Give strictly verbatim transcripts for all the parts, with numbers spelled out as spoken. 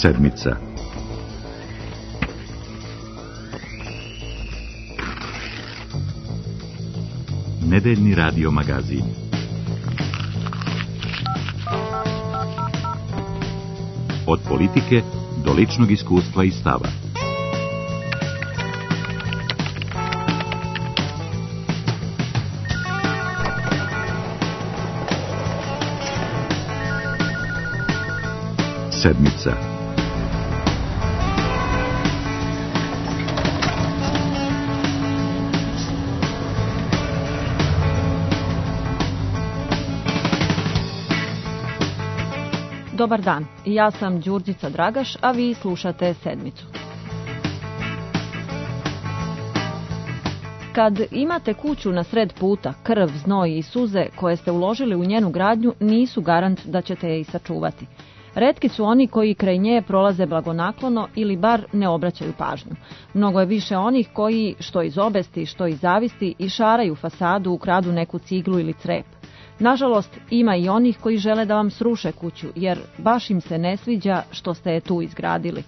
Sedmica. Nedeljni radio magazin. Od politike do ličnog iskustva i stava. Sedmica. Dobar dan, ja sam Đurđica Dragaš, a vi slušate Sedmicu. Kad imate kuću na sred puta, krv, znoj i suze koje ste uložili u njenu gradnju nisu garant da ćete je i sačuvati. Retki su oni koji kraj nje prolaze blagonaklono ili bar ne obraćaju pažnju. Mnogo je više onih koji, što iz obesti, što iz zavisti, išaraju fasadu, ukradu neku ciglu ili crep. Nažalost, ima i onih koji žele da vam sruše kuću, jer baš im se ne sviđa što ste je tu izgradili.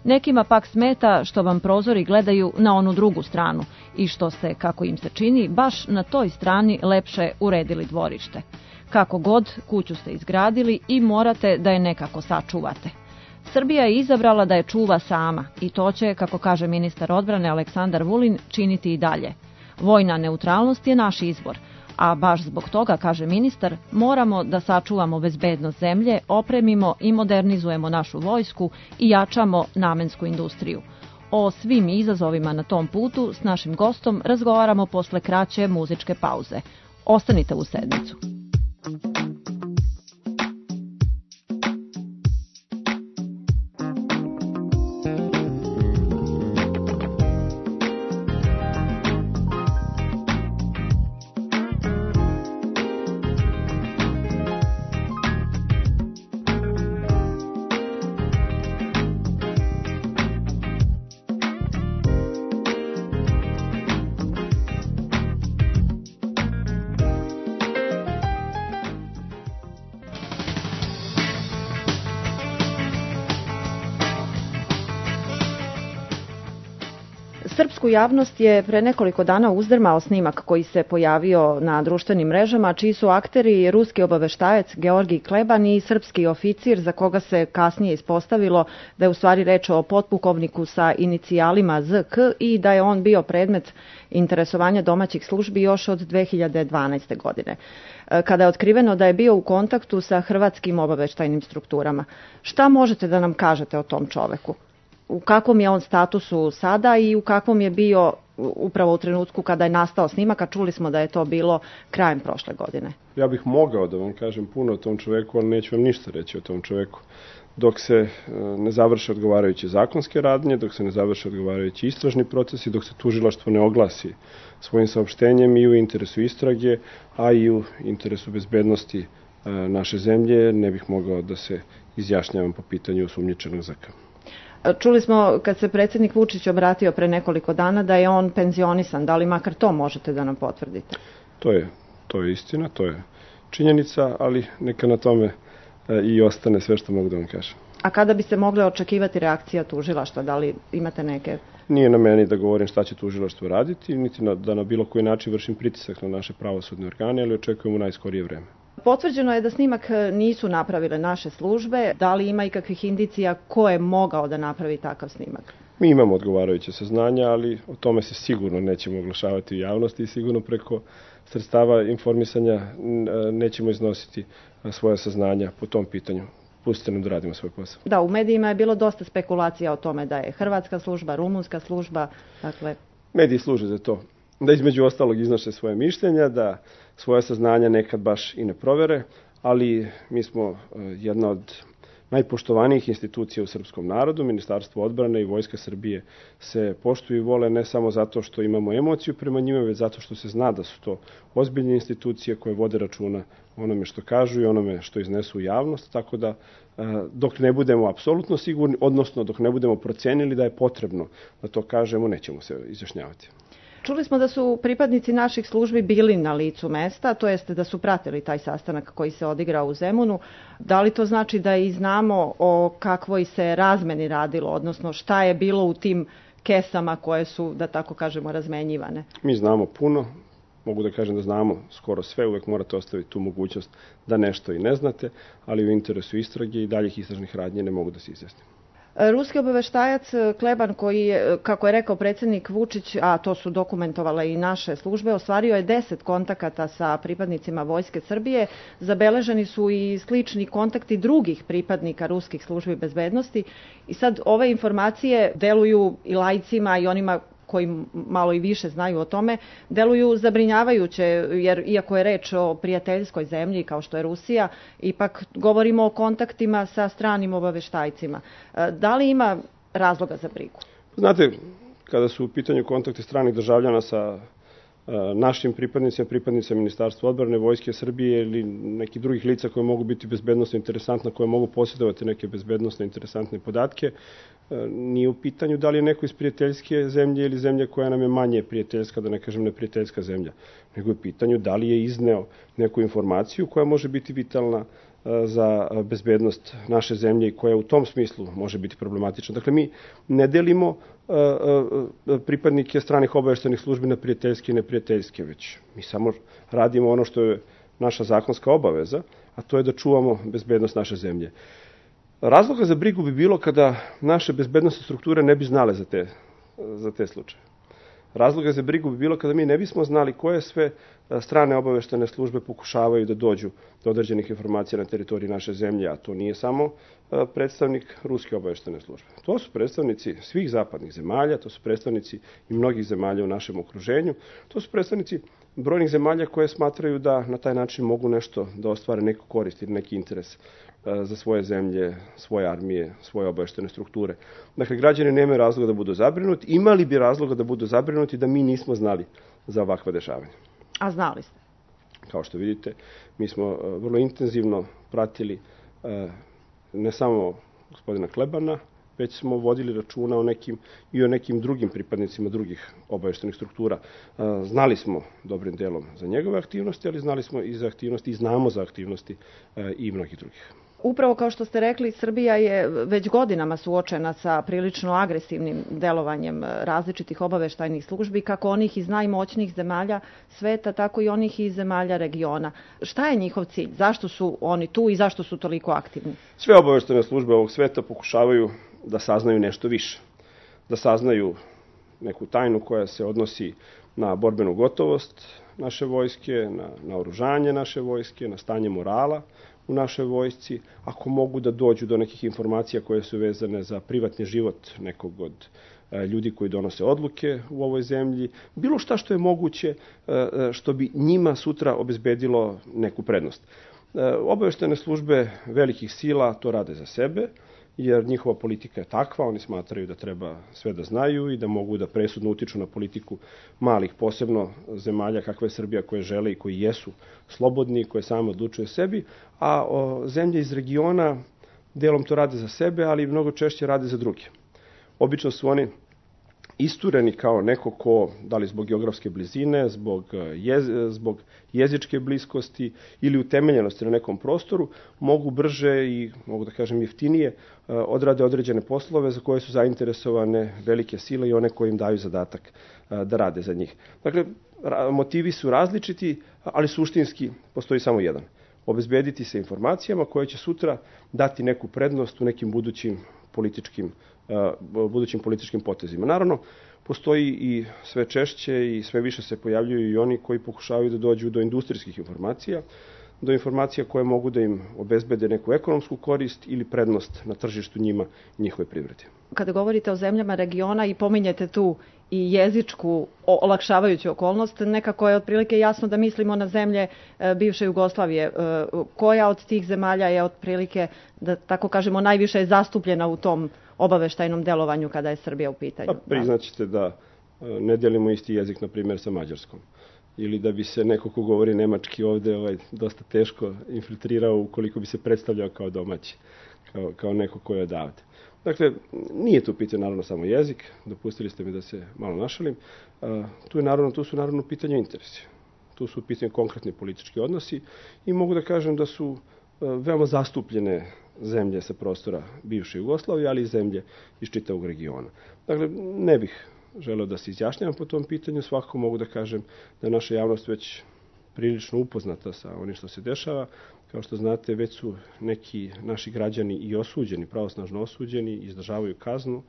Nekima pak smeta što vam prozori gledaju na onu drugu stranu i što ste, kako im se čini, baš na toj strani lepše uredili dvorište. Kako god, kuću ste izgradili i morate da je nekako sačuvate. Srbija je izabrala da je čuva sama i to će, kako kaže ministar odbrane Aleksandar Vulin, činiti i dalje. Vojna neutralnost je naš izbor, a baš zbog toga, kaže ministar, moramo da sačuvamo bezbednost zemlje, opremimo i modernizujemo našu vojsku i jačamo namensku industriju. O svim izazovima na tom putu s našim gostom razgovaramo posle kraće muzičke pauze. Ostanite u Sedmicu. Srpsku javnost je pre nekoliko dana uzdrmao snimak koji se pojavio na društvenim mrežama, čiji su akteri ruski obaveštajac Georgij Kleban i srpski oficir, za koga se kasnije ispostavilo da je u stvari reč o potpukovniku sa inicijalima Z K i da je on bio predmet interesovanja domaćih službi još od dve hiljade dvanaeste. godine, kada je otkriveno da je bio u kontaktu sa hrvatskim obaveštajnim strukturama. Šta možete da nam kažete o tom čoveku? U kakvom je on statusu sada i u kakvom je bio upravo u trenutku kada je nastao snimak, a čuli smo da je to bilo krajem prošle godine? Ja bih mogao da vam kažem puno o tom čoveku, ali neću vam ništa reći o tom čoveku. Dok se ne završe odgovarajuće zakonske radnje, dok se ne završe odgovarajući istražni procesi, dok se tužilaštvo ne oglasi svojim saopštenjem i u interesu istrage, a i u interesu bezbednosti naše zemlje, ne bih mogao da se izjašnjavam po pitanju osumnjičenog Z K. Čuli smo kad se predsjednik Vučić obratio pre nekoliko dana da je on penzionisan. Da li makar to možete da nam potvrdite? To je, to je istina, to je činjenica, ali neka na tome i ostane sve što mogu da vam kažem. A kada bi se mogle očekivati reakcija tužilaštva? Da li imate neke... Nije na meni da govorim šta će tužilaštvo raditi, niti na, da na bilo koji način vršim pritisak na naše pravosudne organe, ali očekujemo najskorije vreme. Potvrđeno je da snimak nisu napravile naše službe. Da li ima ikakvih indicija ko je mogao da napravi takav snimak? Mi imamo odgovarajuće saznanja, ali o tome se sigurno nećemo oglašavati u javnosti i sigurno preko sredstava informisanja nećemo iznositi svoje saznanja po tom pitanju. Pustite nam da radimo svoj posao. Da, u medijima je bilo dosta spekulacija o tome da je hrvatska služba, rumunska služba, dakle... Mediji služe za to. Da između ostalog iznoše svoje mišljenja, da svoje saznanja nekad baš i ne provere, ali mi smo jedna od najpoštovanijih institucija u srpskom narodu. Ministarstvo odbrane i Vojska Srbije se poštuju i vole ne samo zato što imamo emociju prema njima, već zato što se zna da su to ozbiljne institucije koje vode računa onome što kažu i onome što iznesu u javnost, tako da dok ne budemo apsolutno sigurni, odnosno dok ne budemo procenili da je potrebno da to kažemo, nećemo se izjašnjavati. Čuli smo da su pripadnici naših službi bili na licu mesta, to jeste da su pratili taj sastanak koji se odigrao u Zemunu. Da li to znači da i znamo o kakvoj se razmeni radilo, odnosno šta je bilo u tim kesama koje su, da tako kažemo, razmenjivane? Mi znamo puno, mogu da kažem da znamo skoro sve, uvek morate ostaviti tu mogućnost da nešto i ne znate, ali u interesu istrage i daljih istražnih radnje ne mogu da se izjasnim. Ruski obaveštajac Kleban, koji je, kako je rekao predsjednik Vučić, a to su dokumentovale i naše službe, ostvario je deset kontakata sa pripadnicima Vojske Srbije. Zabeleženi su i slični kontakti drugih pripadnika ruskih službi bezbednosti. I sad ove informacije deluju i laicima i onima koji malo i više znaju o tome, deluju zabrinjavajuće, jer iako je reč o prijateljskoj zemlji kao što je Rusija, ipak govorimo o kontaktima sa stranim obaveštajcima. Da li ima razloga za brigu? Znate, kada su u pitanju kontakti stranih državljana sa našim pripadnicima, pripadnicima Ministarstva odbrane, Vojske Srbije ili nekih drugih lica koje mogu biti bezbednosno interesantna, koje mogu posjedovati neke bezbednosno interesantne podatke, nije u pitanju da li je neko iz prijateljske zemlje ili zemlje koja nam je manje prijateljska, da ne kažem neprijateljska zemlja, nego je u pitanju da li je izneo neku informaciju koja može biti vitalna za bezbednost naše zemlje i koja u tom smislu može biti problematična. Dakle, mi ne delimo pripadnike stranih obaveštajnih službi na prijateljske i neprijateljske, već mi samo radimo ono što je naša zakonska obaveza, a to je da čuvamo bezbednost naše zemlje. Razloga za brigu bi bilo kada naše bezbednostne strukture ne bi znale za te, za te slučaje. Razloga za brigu bi bilo kada mi ne bismo znali koje sve strane obaveštajne službe pokušavaju da dođu do određenih informacija na teritoriji naše zemlje, a to nije samo predstavnik Ruske obaveštajne službe. To su predstavnici svih zapadnih zemalja, to su predstavnici i mnogih zemalja u našem okruženju, to su predstavnici brojnih zemalja koje smatraju da na taj način mogu nešto da ostvare neku korist ili neki interes za svoje zemlje, svoje armije, svoje obaveštajne strukture. Dakle, građani nemaju razloga da budu zabrinuti, imali bi razloga da budu zabrinuti da mi nismo znali za ovakva dešavanja. A znali ste? Kao što vidite, mi smo vrlo intenzivno pratili ne samo gospodina Klebana, već smo vodili računa o nekim, i o nekim drugim pripadnicima drugih obaveštajnih struktura. Znali smo dobrim delom za njegove aktivnosti, ali znali smo i za aktivnosti i znamo za aktivnosti i mnogih drugih. Upravo kao što ste rekli, Srbija je već godinama suočena sa prilično agresivnim delovanjem različitih obaveštajnih službi, kako onih iz najmoćnijih zemalja sveta, tako i onih iz zemalja regiona. Šta je njihov cilj? Zašto su oni tu i zašto su toliko aktivni? Sve obaveštajne službe ovog sveta pokušavaju da saznaju nešto više. Da saznaju neku tajnu koja se odnosi na borbenu gotovost naše vojske, na naoružanje naše vojske, na stanje morala u našoj vojsci, ako mogu da dođu do nekih informacija koje su vezane za privatni život nekog od ljudi koji donose odluke u ovoj zemlji, bilo šta što je moguće što bi njima sutra obezbedilo neku prednost. Obaveštajne službe velikih sila to rade za sebe, jer njihova politika je takva, oni smatraju da treba sve da znaju i da mogu da presudno utiču na politiku malih, posebno zemalja kakva je Srbija, koje žele i koji jesu slobodni, koje same odlučuju sebi, a o, zemlje iz regiona delom to rade za sebe, ali mnogo češće rade za druge. Obično su oni istureni kao neko ko, da li zbog geografske blizine, zbog, jez, zbog jezičke bliskosti ili utemeljenosti na nekom prostoru, mogu brže i, mogu da kažem, jeftinije odrade određene poslove za koje su zainteresovane velike sile i one koje im daju zadatak da rade za njih. Dakle, motivi su različiti, ali suštinski postoji samo jedan. Obezbediti se informacijama koje će sutra dati neku prednost u nekim budućim političkim budućim političkim potezima. Naravno, postoji i sve češće i sve više se pojavljuju i oni koji pokušavaju da dođu do industrijskih informacija, do informacija koje mogu da im obezbede neku ekonomsku korist ili prednost na tržištu njima i njihove privrede. Kada govorite o zemljama regiona i pominjete tu i jezičku olakšavajuću okolnost, nekako je otprilike jasno da mislimo na zemlje bivše Jugoslavije. Koja od tih zemalja je otprilike, da tako kažemo, najviše je zastupljena u tom obaveštajnom delovanju kada je Srbija u pitanju? Pa, priznaćete da ne delimo isti jezik, na primjer, sa Mađarskom. Ili da bi se neko ko govori nemački ovde ovaj, dosta teško infiltrirao ukoliko bi se predstavljao kao domaći, kao, kao neko ko je odavde. Dakle, nije tu pitanje naravno samo jezik, dopustili ste mi da se malo našalim, tu, je naravno, tu su naravno pitanje interesi. Tu su pitanje konkretni politički odnosi i mogu da kažem da su veoma zastupljene zemlje sa prostora bivše Jugoslavije, ali i zemlje iz čitavog regiona. Dakle, ne bih želeo da se izjašnjavam po tom pitanju, svakako mogu da kažem da je naša javnost već prilično upoznata sa onim što se dešava. Kao što znate, već su neki naši građani i osuđeni, pravosnažno osuđeni, izdržavaju kaznu,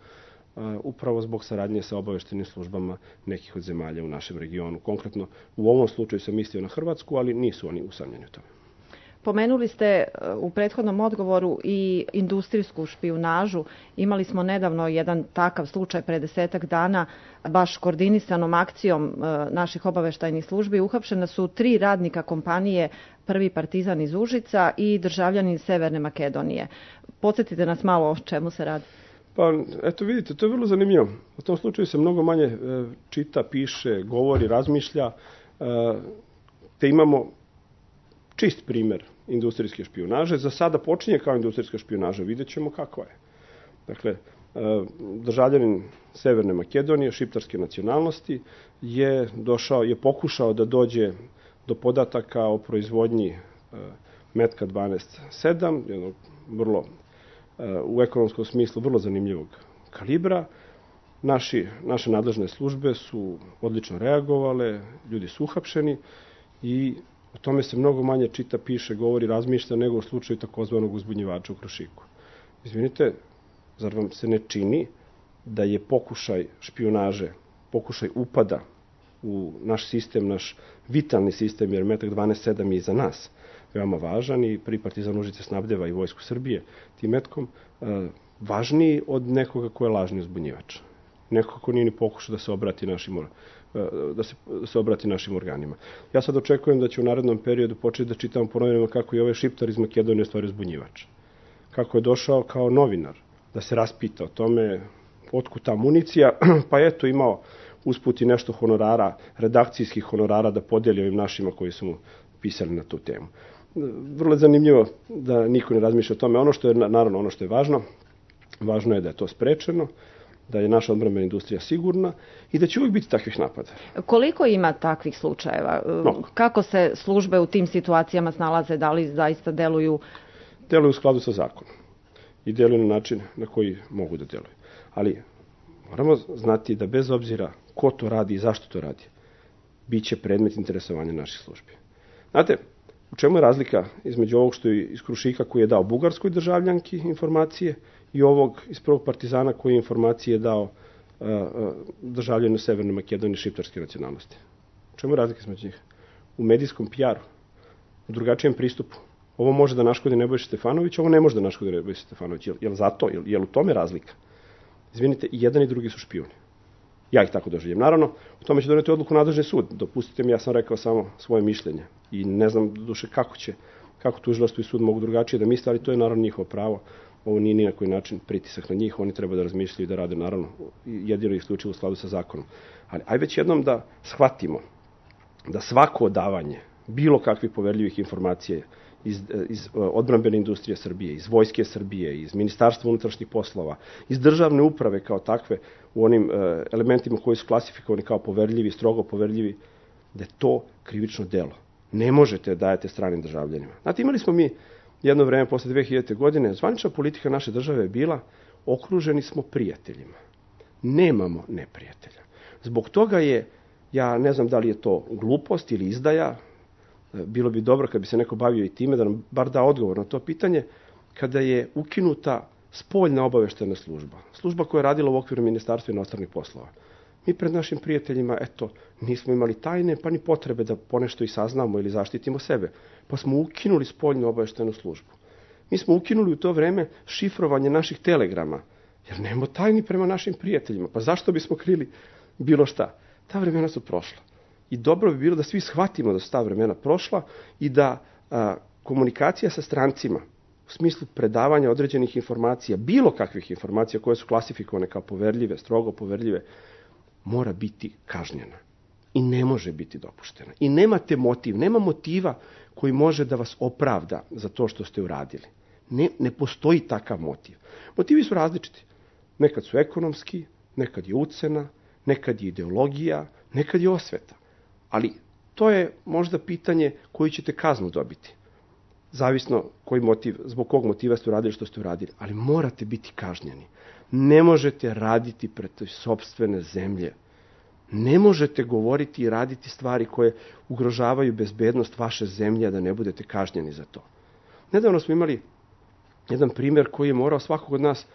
upravo zbog saradnje sa obaveštenim službama nekih od zemalja u našem regionu. Konkretno, u ovom slučaju sam mislio na Hrvatsku, ali nisu oni usamljeni u tome. Pomenuli ste u prethodnom odgovoru i industrijsku špijunažu. Imali smo nedavno jedan takav slučaj pre desetak dana, baš koordinisanom akcijom naših obaveštajnih službi. Uhapšena su tri radnika kompanije Prvi Partizan iz Užica i državljanin Severne Makedonije. Podsjetite nas malo o čemu se radi. Pa, eto vidite, to je vrlo zanimljivo. U tom slučaju se mnogo manje čita, piše, govori, razmišlja, te imamo čist primer industrijske špijunaže. Za sada počinje kao industrijska špijunaža, vidjet ćemo kako je. Dakle, državljanin Severne Makedonije, šiptarske nacionalnosti, je došao, je pokušao da dođe do podataka o proizvodnji metka dvanaest sedam, jednog vrlo, u ekonomskom smislu vrlo zanimljivog kalibra. Naši, naše nadležne službe su odlično reagovale, ljudi su uhapšeni i o tome se mnogo manje čita, piše, govori, razmišlja nego u slučaju takozvanog uzbunjivača u Krušiku. Izvinite, zar vam se ne čini da je pokušaj špijunaže, pokušaj upada u naš sistem, naš vitalni sistem, jer metak dvanaest sedam je i za nas veoma važan i Prvi Partizan Užice snabdeva i Vojsku Srbije tim metkom, važniji od nekoga ko je lažni uzbunjivač. Nekoga ko nije ni pokušao da se obrati našim da se, da se obrati našim organima. Ja sad očekujem da će u narednom periodu početi da čitam po novinama kako je ovaj šiptar iz Makedonije stvari uzbunjivač. Kako je došao kao novinar da se raspita o tome otkud ta municija, pa eto imao usput i nešto honorara, redakcijskih honorara da podeli ovim našima koji su mu pisali na tu temu. Vrlo je zanimljivo da niko ne razmišlja o tome. Ono što je, naravno, ono što je važno, važno je da je to sprečeno, da je naša odbrambena industrija sigurna i da će uvijek biti takvih napada. Koliko ima takvih slučajeva? Mnogo. Kako se službe u tim situacijama snalaze? Da li zaista deluju? Deluju u skladu sa zakonom i deluju na način na koji mogu da deluju. Ali moramo znati da bez obzira ko to radi i zašto to radi, bit će predmet interesovanja naših službi. Znate, u čemu je razlika između ovog što je iz Krušika koji je dao bugarskoj državljanki informacije i ovog iz Prvog Partizana koji je informacije dao uh, uh, državljanu Severne Makedonije šiptarske nacionalnosti? U čemu je razlika između njih? U medijskom P R-u, u drugačijem pristupu. Ovo može da naškodi Nebojša Stefanović, ovo ne može da naškodi Nebojša Stefanović. Jel, jel zato? Jel, jel u tome razlika? Izvinite, i jedan i drugi su špijuni. Ja ih tako doživljam. Naravno, u tome će doneti odluku nadležni sud. Dopustite mi, ja sam rekao samo svoje mišljenje. I ne znam duše kako će, kako tužilaštvo i sud mogu drugačije da misle, ali to je naravno njihovo pravo. Ovo nije ni na koji način pritisak na njih, oni treba da razmišljaju i da rade, naravno, jedino i isključivo u skladu sa zakonom. Ali aj već jednom da shvatimo da svako odavanje bilo kakvih poverljivih informacija iz, iz odbrambene industrije Srbije, iz Vojske Srbije, iz Ministarstva unutrašnjih poslova, iz državne uprave kao takve, u onim e, elementima koji su klasifikovani kao poverljivi, strogo poverljivi, da je to krivično delo. Ne možete da dajete stranim državljanima. Znate, imali smo mi jedno vreme posle dve hiljadite. godine, zvanična politika naše države je bila okruženi smo prijateljima. Nemamo neprijatelja. Zbog toga je, ja ne znam da li je to glupost ili izdaja, bilo bi dobro kad bi se neko bavio i time, da nam bar da odgovor na to pitanje, kada je ukinuta spoljna obaveštena služba. Služba koja je radila u okviru Ministarstva inostranih poslova. Mi pred našim prijateljima, eto, nismo imali tajne, pa ni potrebe da ponešto i saznamo ili zaštitimo sebe. Pa smo ukinuli spoljnu obaveštenu službu. Mi smo ukinuli u to vreme šifrovanje naših telegrama, jer nemamo tajni prema našim prijateljima. Pa zašto bismo krili bilo šta? Ta vremena su prošla. I dobro bi bilo da svi shvatimo da su ta vremena prošla i da a, komunikacija sa strancima u smislu predavanja određenih informacija, bilo kakvih informacija koje su klasifikovane kao poverljive, strogo poverljive, mora biti kažnjena i ne može biti dopuštena. I nemate motiv, nema motiva koji može da vas opravda za to što ste uradili. Ne, ne postoji takav motiv. Motivi su različiti. Nekad su ekonomski, nekad je ucena, nekad je ideologija, nekad je osveta. Ali to je možda pitanje koju ćete kaznu dobiti. Zavisno koji motiv, zbog kog motiva ste uradili što ste uradili. Ali morate biti kažnjeni. Ne možete raditi protiv sopstvene zemlje. Ne možete govoriti i raditi stvari koje ugrožavaju bezbednost vaše zemlje, a da ne budete kažnjeni za to. Nedavno smo imali jedan primjer koji je morao svakog od nas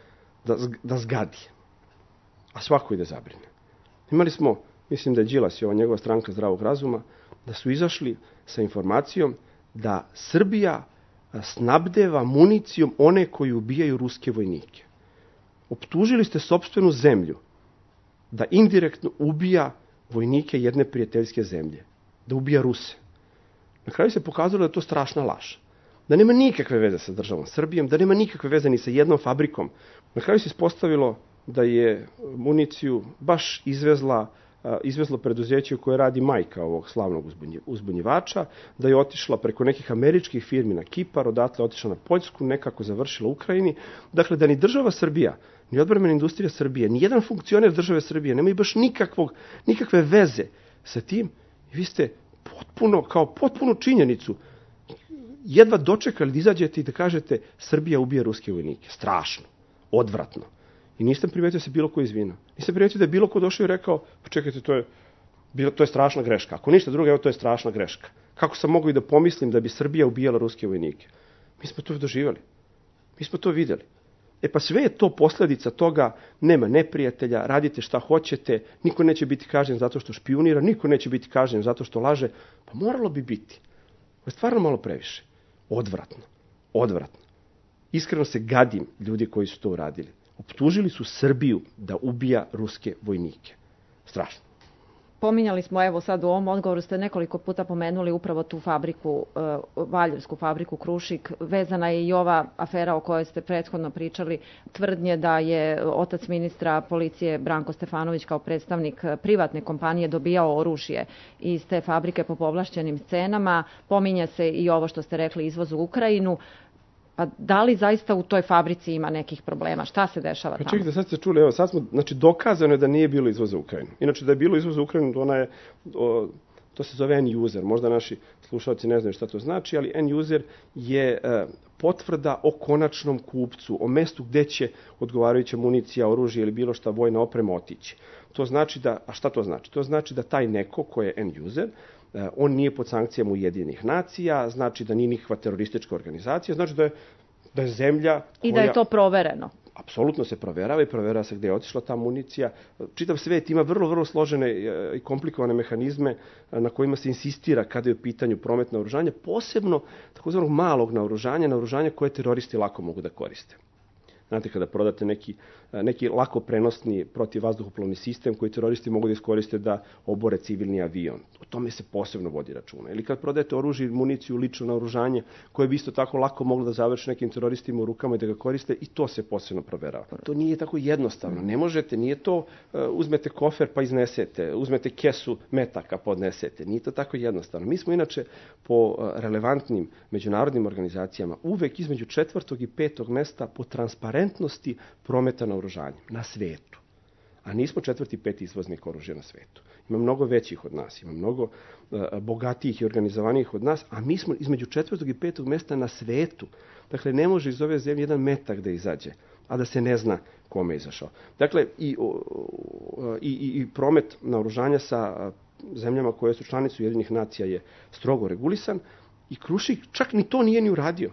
da, da zgadi, a svako i da zabrine. Imali smo, mislim da je Đilas i ova njegova stranka zdravog razuma, da su izašli sa informacijom da Srbija snabdeva municijom one koji ubijaju ruske vojnike. Optužili ste sopstvenu zemlju da indirektno ubija vojnike jedne prijateljske zemlje, da ubija Ruse. Na kraju se pokazalo da je to strašna laž. Da nema nikakve veze sa državom Srbijom, da nema nikakve veze ni sa jednom fabrikom. Na kraju se ispostavilo da je municiju baš izvezla, izvezlo preduzeće koje radi majka ovog slavnog uzbunjivača, da je otišla preko nekih američkih firmi na Kipar, odatle otišla na Poljsku, nekako završila u Ukrajini. Dakle, da ni država Srbija, ni odbrambena industrija Srbije, ni jedan funkcioner države Srbije nemaju baš nikakvog, nikakve veze sa tim. I vi ste potpuno, kao potpunu činjenicu, jedva dočekali da izađete i da kažete Srbija ubija ruske vojnike. Strašno, odvratno. I nisam primetio da se bilo ko izvinao. Nisam primetio da je bilo ko došao i rekao, pa čekajte, to je, to je strašna greška. Ako ništa drugo, evo, to je strašna greška. Kako sam mogao i da pomislim da bi Srbija ubijala ruske vojnike? Mi smo to doživjeli. Mi smo to vidjeli. E pa sve je to posljedica toga, nema neprijatelja, radite šta hoćete, niko neće biti kažnjen zato što špijunira, niko neće biti kažnjen zato što laže. Pa moralo bi biti. To je stvarno malo previše. Odvratno. Odvratno. Iskreno se gadim ljudi koji su to uradili. Optužili su Srbiju da ubija ruske vojnike. Strašno. Pominjali smo, evo sad u ovom odgovoru ste nekoliko puta pomenuli upravo tu fabriku, Valjevsku fabriku Krušik. Vezana je i ova afera o kojoj ste prethodno pričali, tvrdnje da je otac ministra policije Branko Stefanović kao predstavnik privatne kompanije dobijao oružje iz te fabrike po povlašćenim cenama. Pominje se i ovo što ste rekli, izvoz u Ukrajinu. Pa da li zaista u toj fabrici ima nekih problema? Šta se dešava tamo? Pa čekajte, sad ste čuli, evo, sad smo, znači dokazano je da nije bilo izvoza u Ukrajinu. Inače, da je bilo izvoza u Ukrajinu, ona je, o, to se zove end-user. Možda naši slušalci ne znaju šta to znači, ali end-user je e, potvrda o konačnom kupcu, o mestu gde će odgovarajuća municija, oružje ili bilo šta vojna oprema otići. To znači da, a šta to znači? To znači da taj neko ko je end-user, on nije pod sankcijama Ujedinjenih nacija, znači da nije nikakva teroristička organizacija, znači da je, da je zemlja koja... I da je to provereno. Apsolutno se proverava i proverava se gde je otišla ta municija. Čitav svet ima vrlo, vrlo složene i komplikovane mehanizme na kojima se insistira kada je u pitanju promet naoružanja, posebno takozvanog malog naoružanja, naoružanja koje teroristi lako mogu da koriste. Znate, kada prodate neki, neki lako prenosni protivvazduhoplovni sistem koji teroristi mogu da iskoriste da obore civilni avion. O tome se posebno vodi računa. Ili kad prodajete oružje i municiju, lično naoružanje, koje bi isto tako lako moglo da završi nekim teroristima u rukama i da ga koriste, i to se posebno proverava. To nije tako jednostavno. Ne možete, nije to uzmete kofer pa iznesete, uzmete kesu metaka podnesete. Nije to tako jednostavno. Mi smo inače po relevantnim međunarodnim organizacijama uvek između četvrtog i petog mesta po transparentnosti prometa naoružanja na svetu. A nismo četvrti, peti izvoznik oružja na svetu. Ima mnogo većih od nas, ima mnogo uh, bogatijih i organizovanijih od nas, a mi smo između četvrtog i petog mesta na svetu. Dakle, ne može iz ove zemlje jedan metak da izađe, a da se ne zna kome je izašao. Dakle, i, uh, i, i promet naoružanja sa uh, zemljama koje su članice Ujedinjenih nacija je strogo regulisan i Krušik čak ni to nije ni uradio.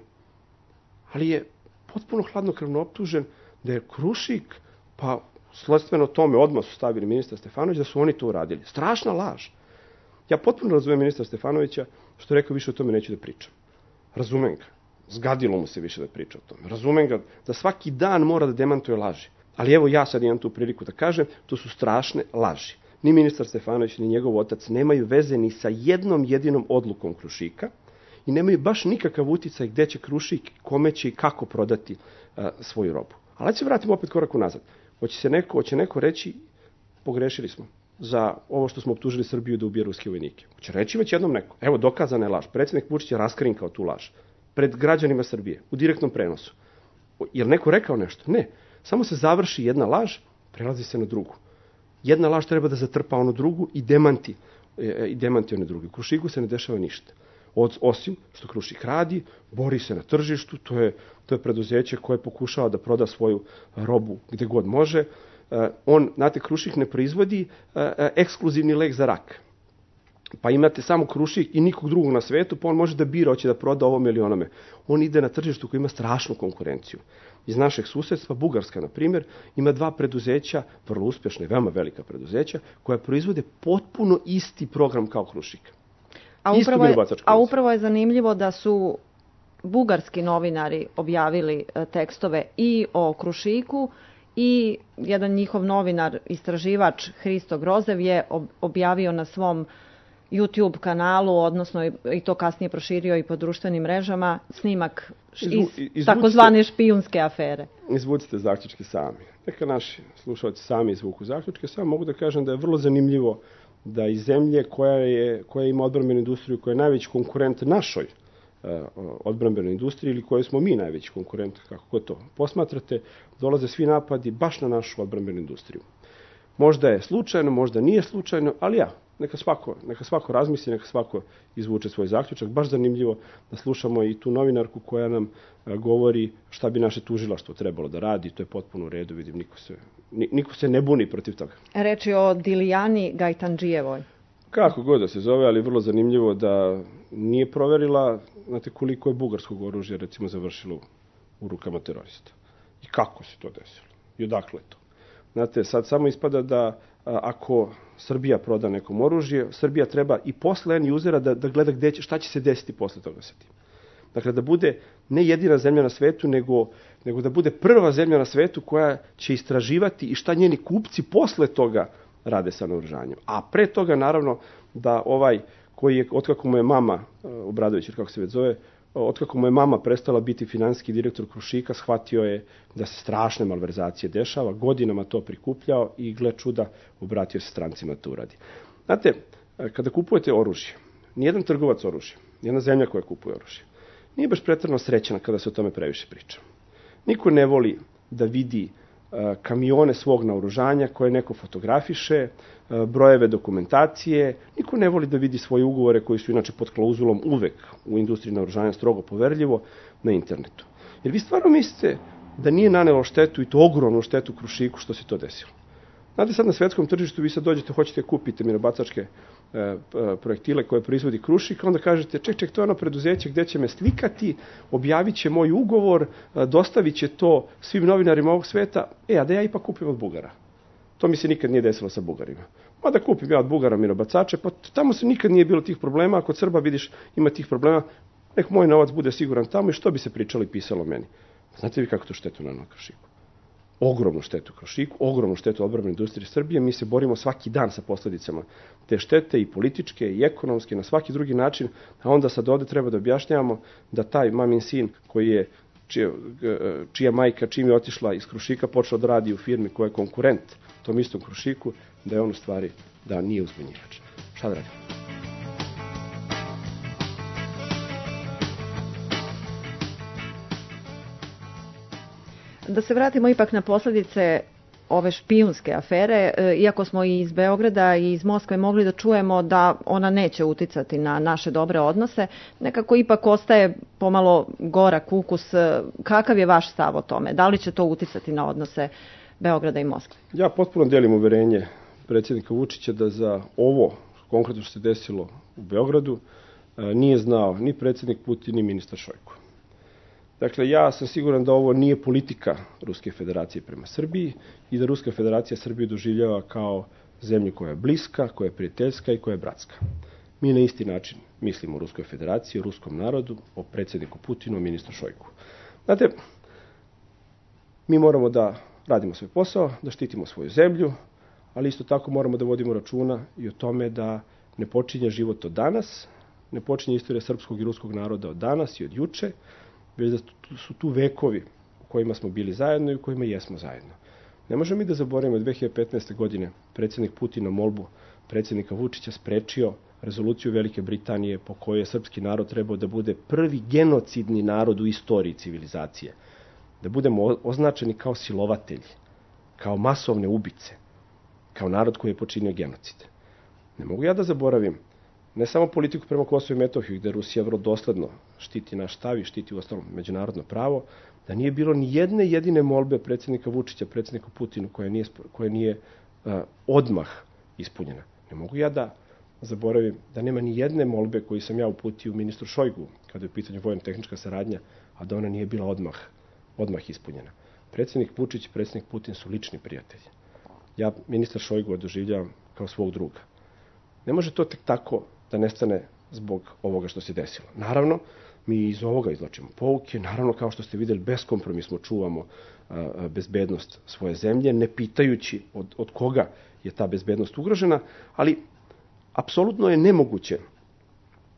Ali je potpuno hladnokrvno optužen da je Krušik, pa sledstveno tome odmah su stavili ministra Stefanovića, da su oni to uradili. Strašna laž. Ja potpuno razumem ministra Stefanovića, što je rekao, više o tome neću da pričam. Razumem ga. Zgadilo mu se više da priča o tome. Razumem ga da svaki dan mora da demantuje laži. Ali evo ja sad imam tu priliku da kažem, to su strašne laži. Ni ministar Stefanović, ni njegov otac nemaju veze ni sa jednom jedinom odlukom Krušika, i nemaju baš nikakav uticaj gde će Krušik, kome će i kako prodati uh, svoju robu. Ali se vratimo opet korak unazad. Hoće se neko, hoće neko reći, pogrešili smo za ovo što smo optužili Srbiju da ubije ruske vojnike. Hoće reći već jednom neko. Evo, dokazana je laž. Predsjednik Vučić je raskrinkao tu laž. pred građanima Srbije, u direktnom prenosu. Je li neko rekao nešto? Ne. Samo se završi jedna laž, prelazi se na drugu. Jedna laž treba da zatrpa onu drugu i demanti, i demanti one druge. U Krušiku se ne dešava ništa. Od, osim što Krušik radi, bori se na tržištu, to je, to je preduzeće koje pokušava da proda svoju robu gde god može. Uh, on, znate, Krušik ne proizvodi uh, ekskluzivni lek za rak. Pa imate samo Krušik i nikog drugog na svetu, pa on može da bira, hoće da proda ovome ili onome. On ide na tržištu koji ima strašnu konkurenciju. Iz našeg susedstva, Bugarska, na primjer, ima dva preduzeća, vrlo uspješne, veoma velika preduzeća, koja proizvode potpuno isti program kao Krušik. A upravo, je, a upravo je zanimljivo da su bugarski novinari objavili tekstove i o Krušiku i jedan njihov novinar, istraživač Hristo Grozev je objavio na svom YouTube kanalu, odnosno i to kasnije proširio i po društvenim mrežama, snimak iz Izvu, takozvane špijunske afere. Izvucite zaključke sami. Neka naši slušalci sami izvuku zaključke. Samo mogu da kažem da je vrlo zanimljivo da iz zemlje koja, je, koja ima odbrambenu industriju, koja je najveći konkurent našoj uh, odbrambenoj industriji ili kojoj smo mi najveći konkurent, kako god to posmatrate, dolaze svi napadi baš na našu odbrambenu industriju. Možda je slučajno, možda nije slučajno, ali ja, neka svako, neka svako razmisli, neka svako izvuče svoj zaključak. Baš zanimljivo da slušamo i tu novinarku koja nam a, govori šta bi naše tužilaštvo trebalo da radi. To je potpuno u redu, vidim, niko se, niko se ne buni protiv toga. Reč je o Dilijani Gajtandžijevoj. Kako god da se zove, ali vrlo zanimljivo da nije proverila, znate, koliko je bugarskog oružja, recimo, završilo u rukama terorista. I kako se to desilo? I odakle to? Znate, sad samo ispada da a, ako Srbija proda nekom oružje, Srbija treba i posle end usera da, da gleda gde će, šta će se desiti posle toga sa tim. Dakle, da bude ne jedina zemlja na svetu, nego, nego da bude prva zemlja na svetu koja će istraživati i šta njeni kupci posle toga rade sa naoružanjem. A pre toga, naravno, da ovaj koji je, otkako mu je mama, Obradović, kako se već zove, otkako mu je mama prestala biti finansijski direktor Krušika, shvatio je da se strašne malverzacije dešava, godinama to prikupljao i, gle čuda, obratio se strancima da to uradi. Znate, kada kupujete oružje, nijedan trgovac oružja, nijedna zemlja koja kupuje oružje, nije baš pretredno srećena kada se o tome previše priča. Niko ne voli da vidi kamione svog naoružanja koje neko fotografiše, brojeve dokumentacije. Niko ne voli da vidi svoje ugovore koji su inače pod klauzulom uvek u industriji naoružanja strogo poverljivo na internetu. Jer vi stvarno mislite da nije nanelo štetu i to ogromnu štetu Krušiku što se to desilo. Znate, sad na svetskom tržištu vi sad dođete, hoćete kupiti minobacačke e, projektile koje proizvodi Krušik, onda kažete, ček, ček, to je ono preduzeće gde će me slikati, objavit će moj ugovor, dostavit će to svim novinarima ovog sveta, e, a da ja ipak kupim od Bugara. To mi se nikad nije desilo sa Bugarima. Ma da kupim ja od Bugara minobacače, pa tamo se nikad nije bilo tih problema, a kod Srba vidiš ima tih problema, nek moj novac bude siguran tamo i što bi se pričalo i pisalo meni. Znate vi kako to štetu na Krušiku? Ogromnu štetu Krušiku, ogromnu štetu odbrambenoj industriji Srbije. Mi se borimo svaki dan sa posledicama te štete i političke i ekonomske, na svaki drugi način, a onda sad ovde treba da objašnjavamo da taj mamin sin koji je, čija, čija majka čim je otišla iz Krušika počela da radi u firmi koja je konkurent tom istom Krušiku, da je on u stvari da nije uzbunjivač. Šta da radimo? Da se vratimo ipak na posljedice ove špijunske afere, iako smo i iz Beograda i iz Moskve mogli da čujemo da ona neće uticati na naše dobre odnose, nekako ipak ostaje pomalo gorak ukus. Kakav je vaš stav o tome? Da li će to uticati na odnose Beograda i Moskve? Ja potpuno delim uverenje predsjednika Vučića da za ovo konkretno što se desilo u Beogradu nije znao ni predsjednik Putin ni ministar Šojko. Dakle, ja sam siguran da ovo nije politika Ruske federacije prema Srbiji i da Ruska federacija Srbiju doživljava kao zemlju koja je bliska, koja je prijateljska i koja je bratska. Mi na isti način mislimo o Ruskoj federaciji, o ruskom narodu, o predsjedniku Putinu, o ministru Šojku. Znate, mi moramo da radimo svoj posao, da štitimo svoju zemlju, ali isto tako moramo da vodimo računa i o tome da ne počinje život od danas, ne počinje istorija srpskog i ruskog naroda od danas i od juče, već da su tu vekovi u kojima smo bili zajedno i u kojima jesmo zajedno. Ne možemo mi da zaboravimo dve hiljade petnaeste. godine predsjednik Putin na molbu predsjednika Vučića sprečio rezoluciju Velike Britanije po kojoj je srpski narod trebao da bude prvi genocidni narod u istoriji civilizacije. Da budemo označeni kao silovatelji, kao masovne ubice, kao narod koji je počinio genocid. Ne mogu ja da zaboravim ne samo politiku prema Kosovu i Metohiji, gde Rusija vrlo dosledno štiti naš stav i štiti u ostalom međunarodno pravo, da nije bilo ni jedne jedine molbe predsjednika Vučića, predsjednika Putinu, koja nije, koja nije uh, odmah ispunjena. Ne mogu ja da zaboravim da nema ni jedne molbe koju sam ja uputio ministru Šojgu, kada je u pitanju vojno-tehnička saradnja, a da ona nije bila odmah, odmah ispunjena. Predsjednik Vučić i predsjednik Putin su lični prijatelji. Ja ministar Šojgu doživljavam kao svog druga. Ne može to tek tako da nestane zbog ovoga što se desilo. Naravno, mi iz ovoga izvlačimo pouke, naravno, kao što ste vidjeli, beskompromisno čuvamo a, bezbednost svoje zemlje, ne pitajući od, od koga je ta bezbednost ugrožena, ali apsolutno je nemoguće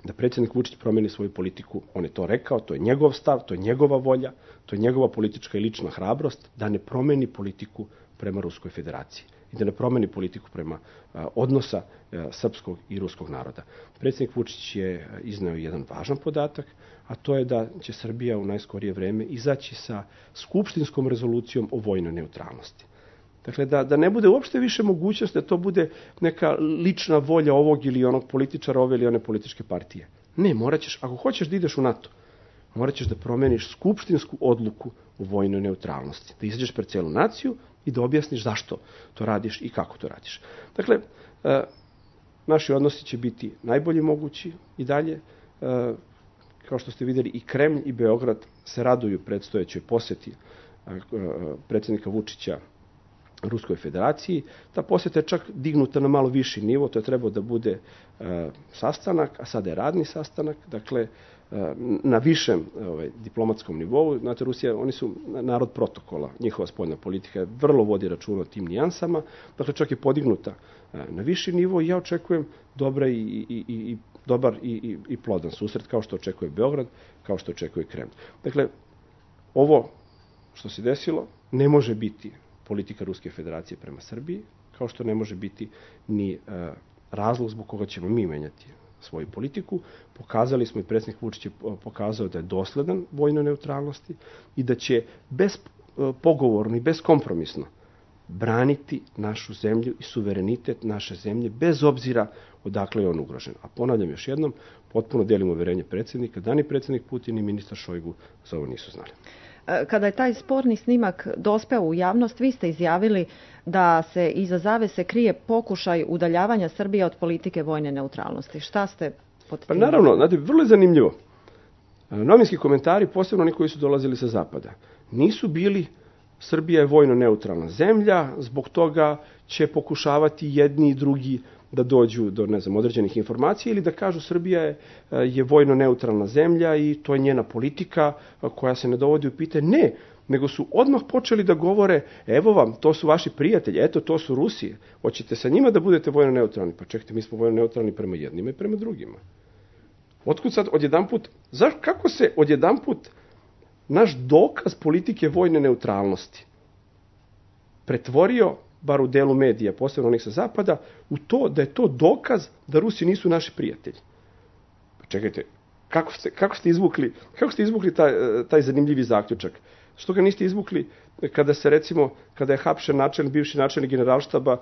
da predsjednik Vučić promeni svoju politiku. On je to rekao, to je njegov stav, to je njegova volja, to je njegova politička i lična hrabrost, da ne promeni politiku prema Ruskoj federaciji i da ne promeni politiku prema a, odnosa a, srpskog i ruskog naroda. Predsjednik Vučić je izneo jedan važan podatak, a to je da će Srbija u najskorije vreme izaći sa skupštinskom rezolucijom o vojnoj neutralnosti. Dakle, da, da ne bude uopšte više mogućnost da to bude neka lična volja ovog ili onog političara, ove ili one političke partije. Ne, morat ćeš, ako hoćeš da ideš u NATO, morat ćeš da promeniš skupštinsku odluku o vojnoj neutralnosti. Da izađeš pred celu naciju i da objasniš zašto to radiš i kako to radiš. Dakle, e, naši odnosi će biti najbolji mogući i dalje. E, kao što ste vidjeli, i Kremlj i Beograd se raduju predstojećoj posjeti e, e, predsjednika Vučića Ruskoj federaciji. Ta posjeta je čak dignuta na malo viši nivo, to je trebao da bude e, sastanak, a sada je radni sastanak, dakle, e, na višem ovaj, diplomatskom nivou. Znate, Rusija, oni su narod protokola, njihova spoljna politika vrlo vodi računa o tim nijansama, dakle, čak je podignuta e, na viši nivo i ja očekujem dobra i, i, i, i dobar i, i, i plodan susret, kao što očekuje Beograd, kao što očekuje Kremlj. Dakle, ovo što se desilo ne može biti politika Ruske federacije prema Srbiji, kao što ne može biti ni e, razlog zbog koga ćemo mi menjati svoju politiku. Pokazali smo i predsjednik Vučić je pokazao da je dosledan vojnoj neutralnosti i da će bez e, pogovorno i beskompromisno braniti našu zemlju i suverenitet naše zemlje, bez obzira odakle je on ugrožen. A ponavljam još jednom, potpuno delim uverenje predsjednika, da ni predsjednik Putin i ministar Šojgu za ovo nisu znali. Kada je taj sporni snimak dospeo u javnost, vi ste izjavili da se iza zavese krije pokušaj udaljavanja Srbije od politike vojne neutralnosti. Šta ste pod tim? Pa naravno, znate, vrlo je zanimljivo. Novinski komentari, posebno oni koji su dolazili sa zapada, nisu bili Srbija je vojno neutralna zemlja, zbog toga će pokušavati jedni i drugi da dođu do, ne znam, određenih informacija ili da kažu Srbija je, je vojno neutralna zemlja i to je njena politika koja se ne dovodi u pitanje. Ne, nego su odmah počeli da govore, evo vam, to su vaši prijatelji, eto, to su Rusije. Hoćete sa njima da budete vojno neutralni? Pa čekajte, mi smo vojno neutralni prema jednima i prema drugima. Otkud sad odjedanput, zaš, kako se odjedanput naš dokaz politike vojne neutralnosti pretvorio, bar u delu medija, posebno onih sa zapada, u to da je to dokaz da Rusi nisu naši prijatelji. Pa čekajte, kako ste, kako ste izvukli, kako ste izvukli taj, taj zanimljivi zaključak? Što ga niste izvukli kada se, recimo, kada je hapšen načelnik, bivši načelnik generalštaba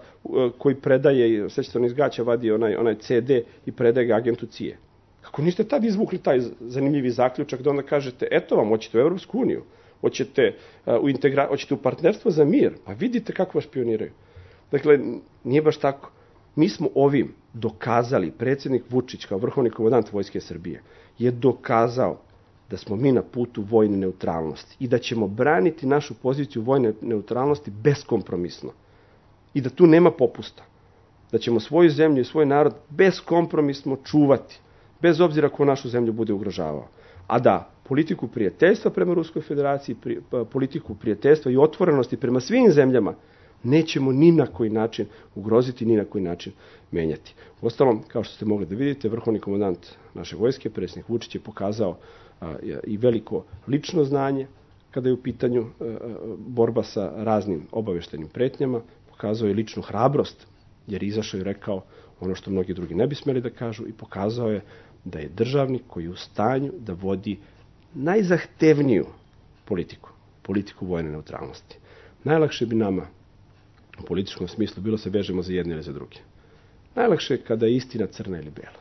koji predaje, sećate, on iz gaća vadi onaj, onaj ce de i predaje ga agentu C I A. Kako niste tad izvukli taj zanimljivi zaključak da onda kažete, eto vam, hoćete u Evropsku uniju, hoćete u, integra... hoćete u partnerstvo za mir, pa vidite kako vas špioniraju. Dakle, nije baš tako. Mi smo ovim dokazali, predsjednik Vučić kao vrhovni komandant Vojske Srbije je dokazao da smo mi na putu vojne neutralnosti i da ćemo braniti našu poziciju vojne neutralnosti beskompromisno i da tu nema popusta. Da ćemo svoju zemlju i svoj narod beskompromisno čuvati, bez obzira ko našu zemlju bude ugrožavao. A da politiku prijateljstva prema Ruskoj federaciji, pri, politiku prijateljstva i otvorenosti prema svim zemljama nećemo ni na koji način ugroziti, ni na koji način menjati. Uostalom, kao što ste mogli da vidite, vrhovni komandant naše vojske, predsjednik Vučić, je pokazao a, i veliko lično znanje kada je u pitanju a, borba sa raznim obaveštenim pretnjama, pokazao je ličnu hrabrost, jer izašao i rekao ono što mnogi drugi ne bi smeli da kažu i pokazao je da je državnik koji je u stanju da vodi najzahtevniju politiku, politiku vojne neutralnosti. Najlakše bi nama u političkom smislu bilo se vežemo za jedne ili za druge. Najlakše je kada je istina crna ili bela.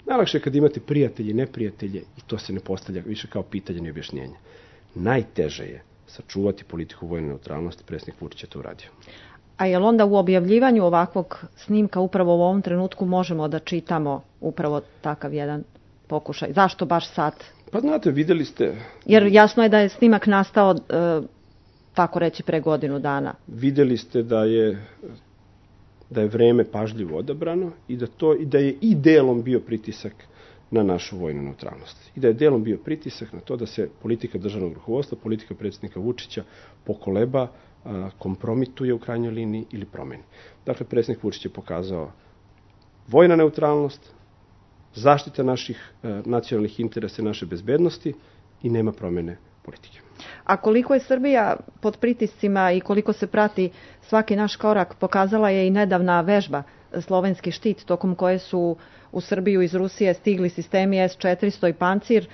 Najlakše je kada imate prijatelje i neprijatelje i to se ne postavlja više kao pitanje ni objašnjenje. Najteže je sačuvati politiku vojne neutralnosti, predsjednik Vučić je to uradio. A je li onda u objavljivanju ovakvog snimka upravo u ovom trenutku možemo da čitamo upravo takav jedan pokušaj? Zašto baš sad? Pa znate, videli ste... Jer jasno je da je snimak nastao, e, tako reći, pre godinu dana. Videli ste da je, da je vreme pažljivo odabrano i da, to, i da je i delom bio pritisak na našu vojnu neutralnost. I da je delom bio pritisak na to da se politika državnog rukovodstva, politika predsjednika Vučića pokoleba, kompromituje u krajnjoj liniji ili promeni. Dakle, predsjednik Vučić je pokazao vojna neutralnost, zaštita naših e, nacionalnih interesa i naše bezbednosti i nema promene politike. A koliko je Srbija pod pritiscima i koliko se prati svaki naš korak, pokazala je i nedavna vežba Slovenski štit, tokom koje su u Srbiju iz Rusije stigli sistemi S četiristo i Pancir,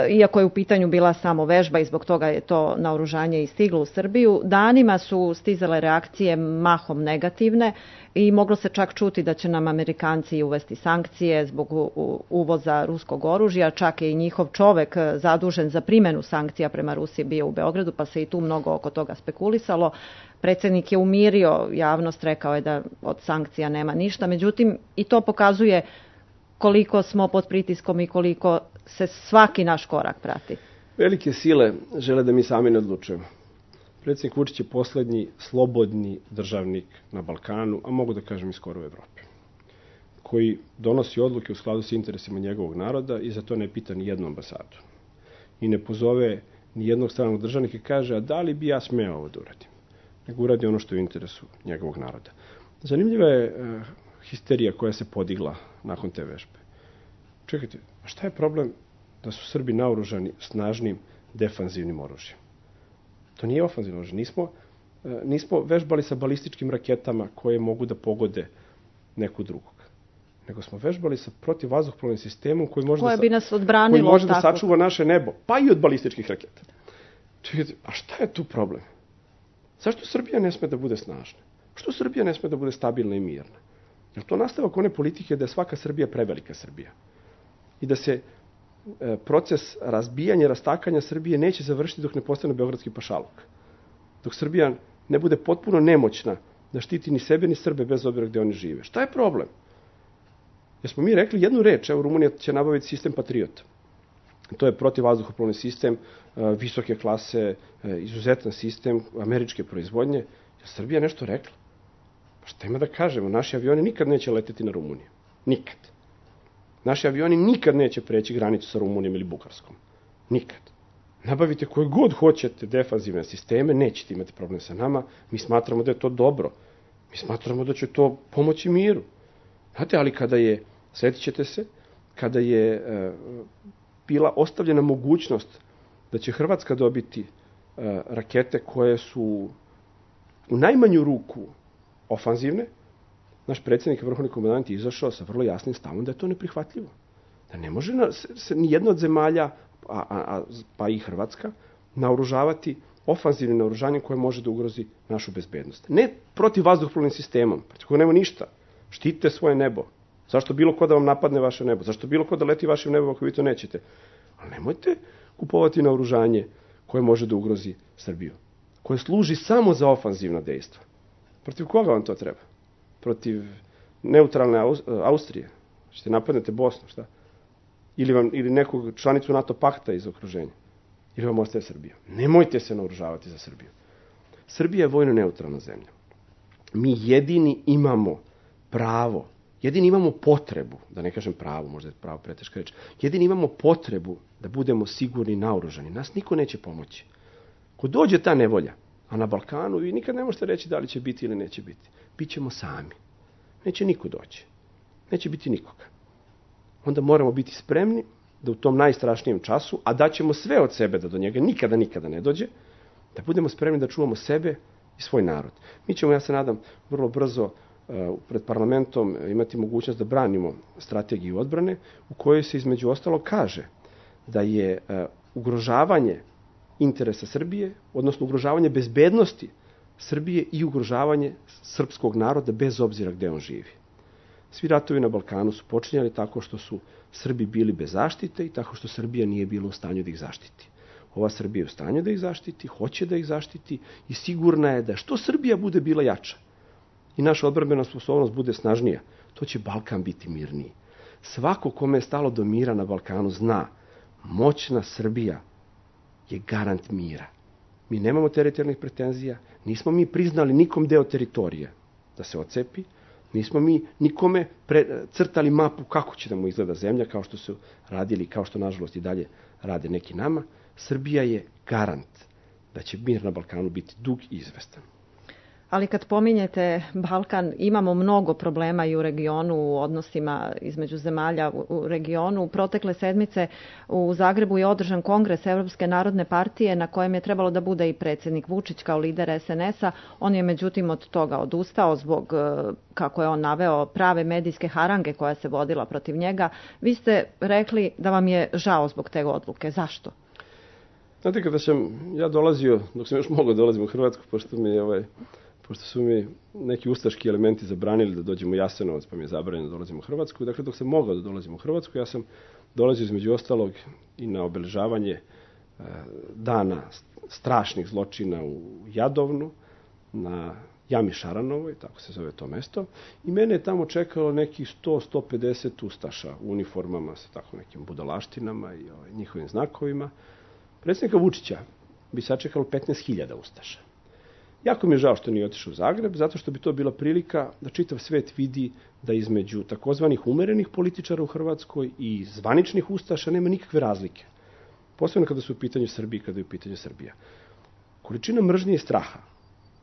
iako je u pitanju bila samo vežba i zbog toga je to naoružanje i stiglo u Srbiju. Danima su stizale reakcije mahom negativne i moglo se čak čuti da će nam Amerikanci uvesti sankcije zbog uvoza ruskog oružja, čak je i njihov čovek zadužen za primjenu sankcija prema Rusiji bio u Beogradu, pa se i tu mnogo oko toga spekulisalo. Predsjednik je umirio javnost, rekao je da od sankcija nema ništa, međutim i to pokazuje koliko smo pod pritiskom i koliko se svaki naš korak prati. Velike sile žele da mi sami ne odlučujemo. Predsjednik Vučić je poslednji slobodni državnik na Balkanu, a mogu da kažem i skoro u Evropi, koji donosi odluke u skladu sa interesima njegovog naroda i za to ne pita ni jednu ambasadu. I ne pozove ni jednog stranog državnika i kaže, a da li bi ja smeo ovo da uradim? Nego uradi ono što je u interesu njegovog naroda. Zanimljiva je uh, histerija koja se podigla nakon te vežbe. Čekajte, a šta je problem da su Srbi naoružani snažnim defanzivnim oružjem? To nije ofanzivno oružje. Nismo, nismo vežbali sa balističkim raketama koje mogu da pogode neku drugog. Nego smo vežbali sa protivvazduhoplovnim sistemom koji može, koje da, bi nas odbranilo, koji može tako da sačuva naše nebo, pa i od balističkih raketa. Čekajte, a šta je tu problem? Zašto Srbija ne sme da bude snažna? Što Srbija ne sme da bude stabilna i mirna? Jer to nastavak one politike da je svaka Srbija prevelika Srbija. I da se e, proces razbijanja i rastakanja Srbije neće završiti dok ne postane beogradski pašaluk. Dok Srbija ne bude potpuno nemoćna da štiti ni sebe ni Srbe bez obzira gde oni žive. Šta je problem? Jer smo mi rekli jednu reč, evo Rumunija će nabaviti sistem Patriot. To je protivvazduhoplovni sistem, e, visoke klase, e, izuzetan sistem američke proizvodnje. Je Srbija nešto rekla? Pa šta ima da kažemo? Naši avioni nikad neće leteti na Rumuniju. Nikad. Naši avioni nikad neće preći granicu sa Rumunijom ili Bugarskom. Nikad. Nabavite koje god hoćete defanzivne sisteme, nećete imati problem sa nama. Mi smatramo da je to dobro. Mi smatramo da će to pomoći miru. Znate, ali kada je, sjetit ćete se, kada je e, bila ostavljena mogućnost da će Hrvatska dobiti e, rakete koje su u najmanju ruku ofanzivne, naš predsjednik vrhovni komandant je izašao sa vrlo jasnim stavom da je to neprihvatljivo. Da ne može na, se, ni jedna od zemalja, a, a, a, pa i Hrvatska, naoružavati ofanzivnim naoružanjem koje može da ugrozi našu bezbednost. Ne protiv vazduhoplovnim sistemom, protiv koga nema ništa. Štitite svoje nebo. Zašto bilo ko da vam napadne vaše nebo? Zašto bilo ko da leti vašim nebom ako vi to nećete? Ali nemojte kupovati naoružanje koje može da ugrozi Srbiju. Koje služi samo za ofanzivna dejstva. Protiv koga vam to treba? Protiv neutralne Austrije? Ćete napadnete Bosnu, šta? Ili, vam, ili nekog članicu NATO pakta iz okruženja? Ili vam ostaje Srbija? Nemojte se naoružavati za Srbiju. Srbija je vojno neutralna zemlja. Mi jedini imamo pravo, jedini imamo potrebu, da ne kažem pravo, možda je pravo preteška reč, jedini imamo potrebu da budemo sigurni i naoružani. Nas niko neće pomoći. Ko dođe ta nevolja, a na Balkanu vi nikad ne možete reći da li će biti ili neće biti. Bićemo sami. Neće niko doći. Neće biti nikoga. Onda moramo biti spremni da u tom najstrašnijem času, a daćemo sve od sebe da do njega nikada, nikada ne dođe, da budemo spremni da čuvamo sebe i svoj narod. Mi ćemo, ja se nadam, vrlo brzo pred parlamentom imati mogućnost da branimo strategiju odbrane u kojoj se između ostalog kaže da je ugrožavanje interesa Srbije, odnosno ugrožavanje bezbednosti Srbije i ugrožavanje srpskog naroda bez obzira gde on živi. Svi ratovi na Balkanu su počinjali tako što su Srbi bili bez zaštite i tako što Srbija nije bila u stanju da ih zaštiti. Ova Srbija je u stanju da ih zaštiti, hoće da ih zaštiti i sigurna je da što Srbija bude bila jača i naša odbrambena sposobnost bude snažnija, to će Balkan biti mirniji. Svako kome je stalo do mira na Balkanu zna, moćna Srbija je garant mira. Mi nemamo teritorijalnih pretenzija, nismo mi priznali nikom deo teritorije da se ocepi, nismo mi nikome pre, crtali mapu kako će da mu izgleda zemlja, kao što su radili, kao što nažalost i dalje rade neki nama. Srbija je garant da će mir na Balkanu biti dug i izvestan. Ali kad pominjete Balkan, imamo mnogo problema i u regionu, u odnosima između zemalja u regionu. Protekle sedmice u Zagrebu je održan kongres Evropske narodne partije na kojem je trebalo da bude i predsjednik Vučić kao lider es en es a. On je međutim od toga odustao zbog, kako je on naveo, prave medijske harange koja se vodila protiv njega. Vi ste rekli da vam je žao zbog te odluke. Zašto? Znate, kada sam ja dolazio, dok sam još mogao dolazim u Hrvatsku, pošto mi je ovaj... pošto su mi neki ustaški elementi zabranili da dođemo u Jasenovac, pa mi je zabranjeno da dolazim u Hrvatsku. Dakle, dok sam mogao da dolazim u Hrvatsku, ja sam dolazio između ostalog i na obeležavanje dana strašnih zločina u Jadovnu, na Jami Šaranovoj, tako se zove to mesto, i mene je tamo čekalo nekih sto do sto pedeset ustaša u uniformama sa tako nekim budalaštinama i ovaj, njihovim znakovima. Predsjednika Vučića bi sačekalo petnaest hiljada ustaša. Jako mi je žao što nije otišao u Zagreb, zato što bi to bila prilika da čitav svet vidi da između takozvanih umerenih političara u Hrvatskoj i zvaničnih ustaša nema nikakve razlike. Posebno kada su u pitanju Srbije, kada je u pitanju Srbija. Količina mržnje i straha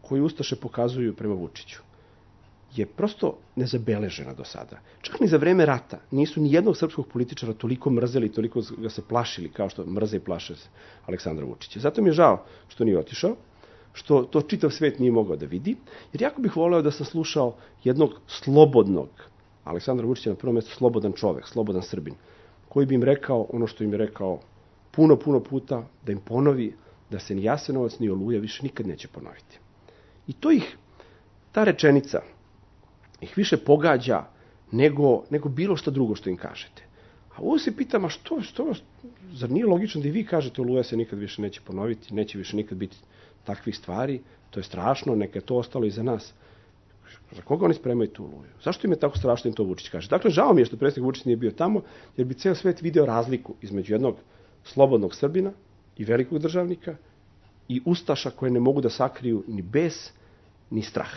koju ustaše pokazuju prema Vučiću je prosto nezabeležena do sada. Čak ni za vreme rata nisu ni jednog srpskog političara toliko mrzeli, toliko ga se plašili kao što mrze i plaše Aleksandra Vučića. Zato mi je žao što nije otišao, što to čitav svet nije mogao da vidi, jer jako bih voleo da sam slušao jednog slobodnog, Aleksandra Vučića na prvom mjestu slobodan čovek, slobodan Srbin, koji bi im rekao ono što im je rekao puno, puno puta, da im ponovi da se ni Jasenovac ni Oluja više nikad neće ponoviti. I to ih, ta rečenica, ih više pogađa nego, nego bilo što drugo što im kažete. A ovo se pitam, a što, što, zar nije logično da i vi kažete Oluja se nikad više neće ponoviti, neće više nikad biti takvih stvari, to je strašno, neka je to ostalo iza nas. Za koga oni spremaju tu Oluju? Zašto im je tako strašno im to Vučić kaže? Dakle, žao mi je što predsjednik Vučić nije bio tamo, jer bi ceo svet video razliku između jednog slobodnog Srbina i velikog državnika i ustaša koje ne mogu da sakriju ni bes, ni strah.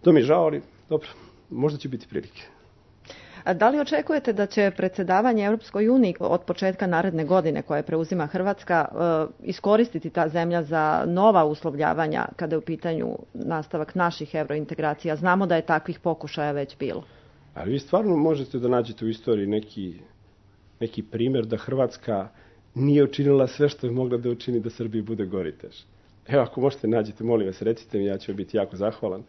To mi je žao, ali dobro, možda će biti prilike. A da li očekujete da će predsjedavanje Europskoj uniji od početka naredne godine koje preuzima Hrvatska iskoristiti ta zemlja za nova uslovljavanja kada je u pitanju nastavak naših evrointegracija? Znamo da je takvih pokušaja već bilo. Ali vi stvarno možete da nađete u istoriji neki, neki primjer da Hrvatska nije učinila sve što je mogla da učini da Srbiji bude gori teže. Evo, ako možete nađete, molim vas, recite mi, ja ću biti jako zahvalan.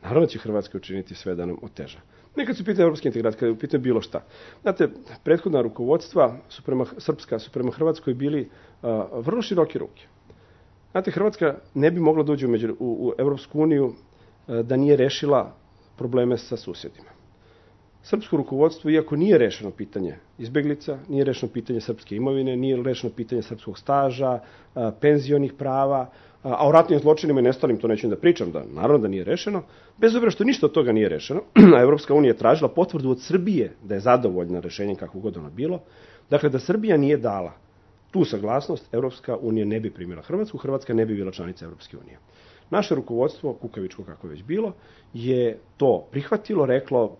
Naravno će Hrvatska učiniti sve da nam oteža. Nekad su pitanje evropske integracije, kada je u pitanju bilo šta. Znate, prethodna rukovodstva su prema, srpska su prema Hrvatskoj bili uh, vrlo široke ruke. Znate, Hrvatska ne bi mogla da uđe u, među, u, u Evropsku uniju uh, da nije rešila probleme sa susjedima. Srpsko rukovodstvo, iako nije rešeno pitanje izbeglica, nije rešeno pitanje srpske imovine, nije rešeno pitanje srpskog staža, uh, penzionih prava, a o ratnim zločinima i nestalim, to neću da pričam, da naravno da nije rešeno, bez obzira što ništa od toga nije rešeno, a Evropska unija je tražila potvrdu od Srbije da je zadovoljna rešenjem kako god ono bilo, dakle da Srbija nije dala tu saglasnost, Evropska unija ne bi primila Hrvatsku, Hrvatska ne bi bila članica Evropske unije. Naše rukovodstvo, kukavičko kako je već bilo, je to prihvatilo, reklo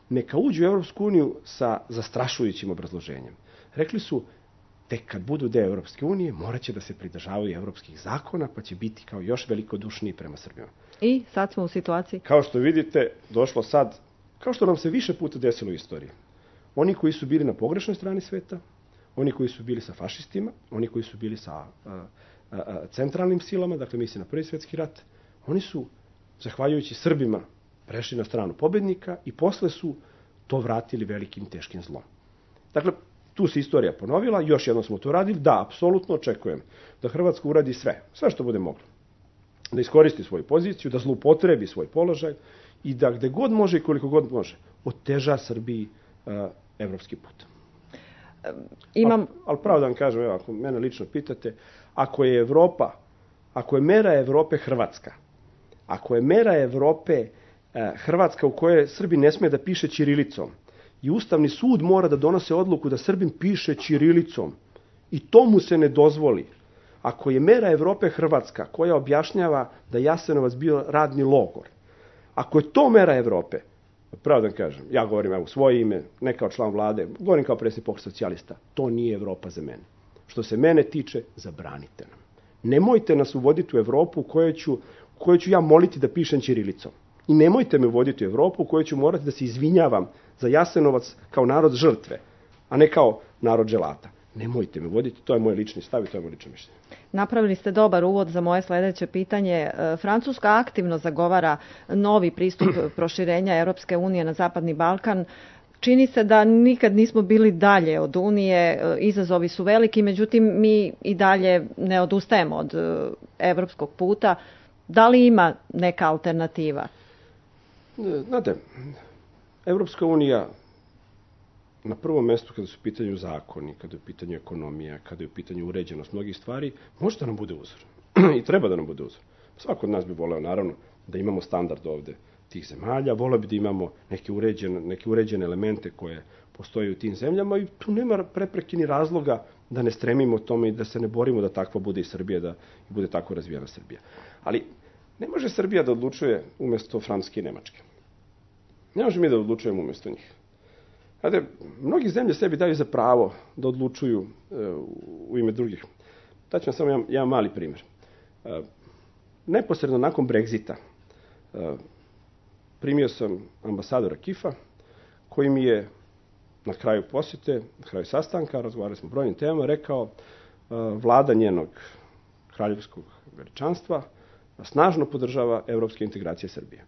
neka uđu u Evropsku uniju sa zastrašujućim obrazloženjem. Rekli su, tek kad budu deo Evropske unije, morat će da se pridržavaju evropskih zakona, pa će biti kao još velikodušniji prema Srbima. I sad smo u situaciji? Kao što vidite, došlo sad, kao što nam se više puta desilo u istoriji. Oni koji su bili na pogrešnoj strani sveta, oni koji su bili sa fašistima, oni koji su bili sa a, a, a, centralnim silama, dakle misli na Prvi svjetski rat, oni su, zahvaljujući Srbima, prešli na stranu pobednika i posle su to vratili velikim teškim zlom. Dakle, tu se istorija ponovila, još jednom smo to radili. Da, apsolutno očekujem da Hrvatska uradi sve, sve što bude moglo. Da iskoristi svoju poziciju, da zloupotrebi svoj položaj i da gde god može i koliko god može oteža Srbiji uh, evropski put. Imam... Ali, ali pravo da vam kažem, evo, ako mene lično pitate, ako je Evropa, ako je mera Evrope Hrvatska, ako je mera Evrope uh, Hrvatska u kojoj Srbi ne sme da piše ćirilicom i Ustavni sud mora da donose odluku da Srbin piše ćirilicom i to mu se ne dozvoli, ako je mera Evrope Hrvatska koja objašnjava da Jasenovac bio radni logor, ako je to mera Evrope, pravo da kažem, ja govorim evo, svoje ime, ne kao član vlade, govorim kao predsjednik Pokreta socijalista, to nije Evropa za mene. Što se mene tiče, zabranite nam. Nemojte nas uvoditi u Evropu u kojoj ću, u kojoj ću ja moliti da pišem ćirilicom. I nemojte me uvoditi u Evropu u kojoj ću morati da se izvinjavam za Jasenovac kao narod žrtve, a ne kao narod želata. Nemojte me voditi, to je moj lični stav i to je moj lično mišljenje. Napravili ste dobar uvod za moje sledeće pitanje. Francuska aktivno zagovara novi pristup proširenja Europske unije na Zapadni Balkan. Čini se da nikad nismo bili dalje od Unije, izazovi su veliki, međutim mi i dalje ne odustajemo od evropskog puta. Da li ima neka alternativa? Znate, Evropska unija na prvom mestu kada su u pitanju zakoni, kada je u pitanju ekonomija, kada je u pitanju uređenost mnogih stvari, može da nam bude uzor. I treba da nam bude uzor. Svako od nas bi voleo, naravno, da imamo standard ovde tih zemalja, voleo bi da imamo neke uređene, neke uređene elemente koje postoje u tim zemljama i tu nema prepreke ni razloga da ne stremimo tome i da se ne borimo da takva bude i Srbija, da bude tako razvijena Srbija. Ali ne može Srbija da odlučuje umesto Francuske i Nemačke. Ne može mi da odlučujemo umesto njih. Znate, mnogi zemlje sebi daju za pravo da odlučuju e, u ime drugih. Daću vam samo jedan, jedan mali primjer. E, neposredno nakon Brexita e, primio sam ambasadora Kifa, koji mi je na kraju posjete, na kraju sastanka, razgovarali smo o brojnim temama, rekao e, vlada njenog kraljevskog veličanstva snažno podržava evropske integracije Srbije.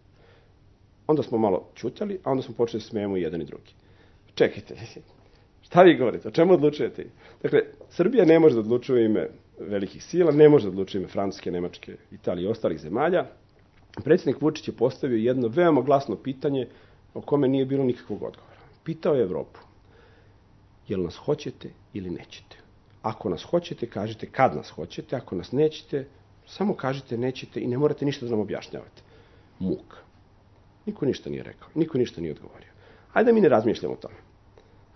Onda smo malo ćutali, a onda smo počeli da smijemo jedan i drugi. Čekajte, šta vi govorite, o čemu odlučujete? Dakle, Srbija ne može da odlučuje ime velikih sila, ne može da odlučuje ime Francuske, Nemačke, Italije i ostalih zemalja. Predsjednik Vučić je postavio jedno veoma glasno pitanje o kome nije bilo nikakvog odgovora. Pitao je Evropu, jel nas hoćete ili nećete? Ako nas hoćete, kažite kad nas hoćete, ako nas nećete, samo kažite nećete i ne morate ništa da nam objašnjavate. Muk. Niko ništa nije rekao, niko ništa nije odgovorio. Ajde da mi ne razmišljamo o tome.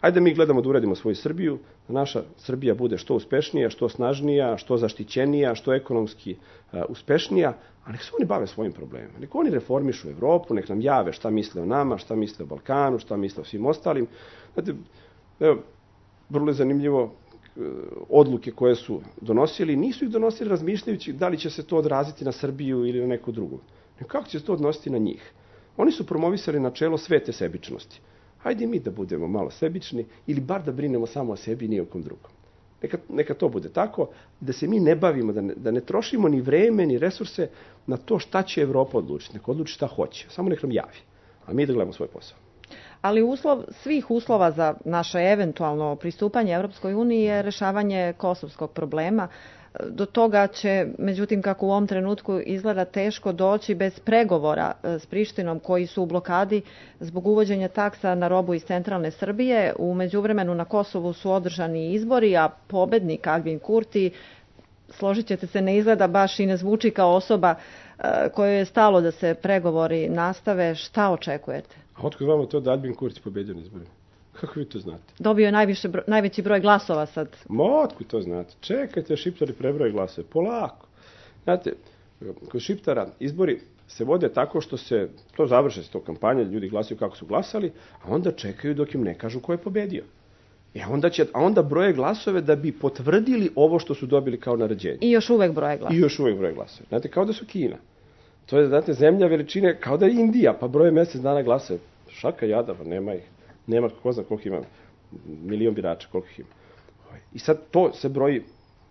Ajde da mi gledamo da uredimo svoju Srbiju, da naša Srbija bude što uspešnija, što snažnija, što zaštićenija, što ekonomski uh, uspešnija, a nek se oni bave svojim problemima. Nek oni reformišu Evropu, nek nam jave šta misle o nama, šta misle o Balkanu, šta misle o svim ostalim. Znate, evo, vrlo je zanimljivo odluke koje su donosili, nisu ih donosili razmišljajući da li će se to odraziti na Srbiju ili na neku drugu. Nek kako će se to odnositi na njih. Oni su promovisali načelo svete sebičnosti. Hajde mi da budemo malo sebični ili bar da brinemo samo o sebi i ni o kom drugom. Neka, neka to bude tako, da se mi ne bavimo, da ne, da ne trošimo ni vreme, ni resurse na to šta će Evropa odlučiti. Neka odluči šta hoće. Samo nek nam javi. A mi da gledamo svoj posao. Ali uslov svih uslova za naše eventualno pristupanje Evropskoj uniji je rešavanje kosovskog problema. Do toga će, međutim, kako u ovom trenutku izgleda, teško doći bez pregovora s Prištinom koji su u blokadi zbog uvođenja taksa na robu iz centralne Srbije. U međuvremenu na Kosovu su održani izbori, a pobednik Albin Kurti, složit ćete se, ne izgleda baš i ne zvuči kao osoba kojoj je stalo da se pregovori nastave. Šta očekujete? A otkud vama to da Albin Kurti pobedio na izborima? Kako vi to znate? Dobio je najviše, najveći broj glasova sad. Ma, otkud to znate? Čekajte, Šiptari prebroje glasove. Polako. Znate, kod Šiptara izbori se vode tako što se to završe s to kampanje, ljudi glasaju kako su glasali, a onda čekaju dok im ne kažu ko je pobedio. E onda će, a onda broje glasove da bi potvrdili ovo što su dobili kao naređenje. I još uvek broje glasove. I još uvek broje glasove. Znate, kao da su Kina. To je, znate, zemlja veličine, kao da je Indija, pa broje mesec dana glasove. Šaka jada, pa nema ih. Nema, ko zna koliko ima, milion birača, koliko ih ima. I sad to se broji,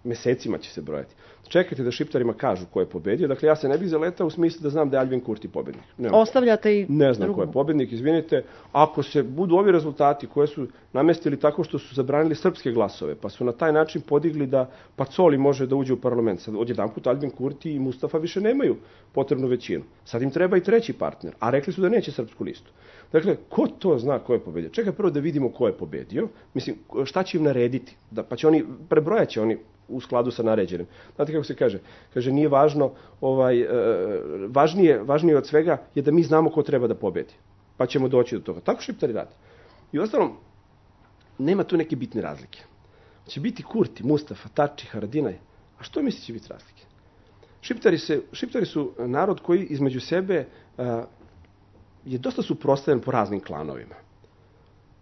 mesecima će se brojati. čekajte da Šiptarima kažu ko je pobedio. Dakle, ja se ne bih zaletao u smislu da znam da je Albin Kurti pobednik. Nemam Ostavljate i Ne znam drugu. ko je pobednik, izvinite. Ako se budu ovi rezultati koje su namestili tako što su zabranili srpske glasove, pa su na taj način podigli da Pacoli može da uđe u parlament. Sad odjedanput Albin Kurti i Mustafa više nemaju potrebnu većinu. Sad im treba i treći partner, a rekli su da neće srpsku listu. Dakle, ko to zna ko je pobedio? Čekaj prvo da vidimo ko je pobedio. Mislim, šta će im narediti? Da, pa će oni, prebrojat će oni u skladu sa naređenim. Znate kako se kaže? Kaže, nije važno, ovaj, e, važnije, važnije od svega je da mi znamo ko treba da pobedi. Pa ćemo doći do toga. Tako Šiptari rade. I ostalom, nema tu neke bitne razlike. Će biti Kurti, Mustafa, Tači, Haradinaj. A što misli će biti razlike? Šiptari, se, Šiptari su narod koji između sebe a, je dosta suprotstavljen po raznim klanovima.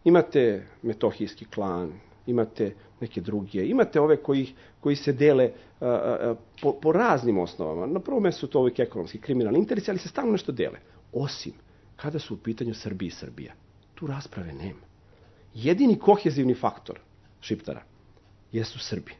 Imate metohijski klan, imate neke druge, imate ove koji, koji se dele a, a, po, po raznim osnovama. Na prvom mjestu su to uvijek ekonomski, kriminalni interesi, ali se stalno nešto dele. Osim kada su u pitanju Srbija i Srbija. Tu rasprave nema. Jedini kohezivni faktor Šiptara jesu Srbi.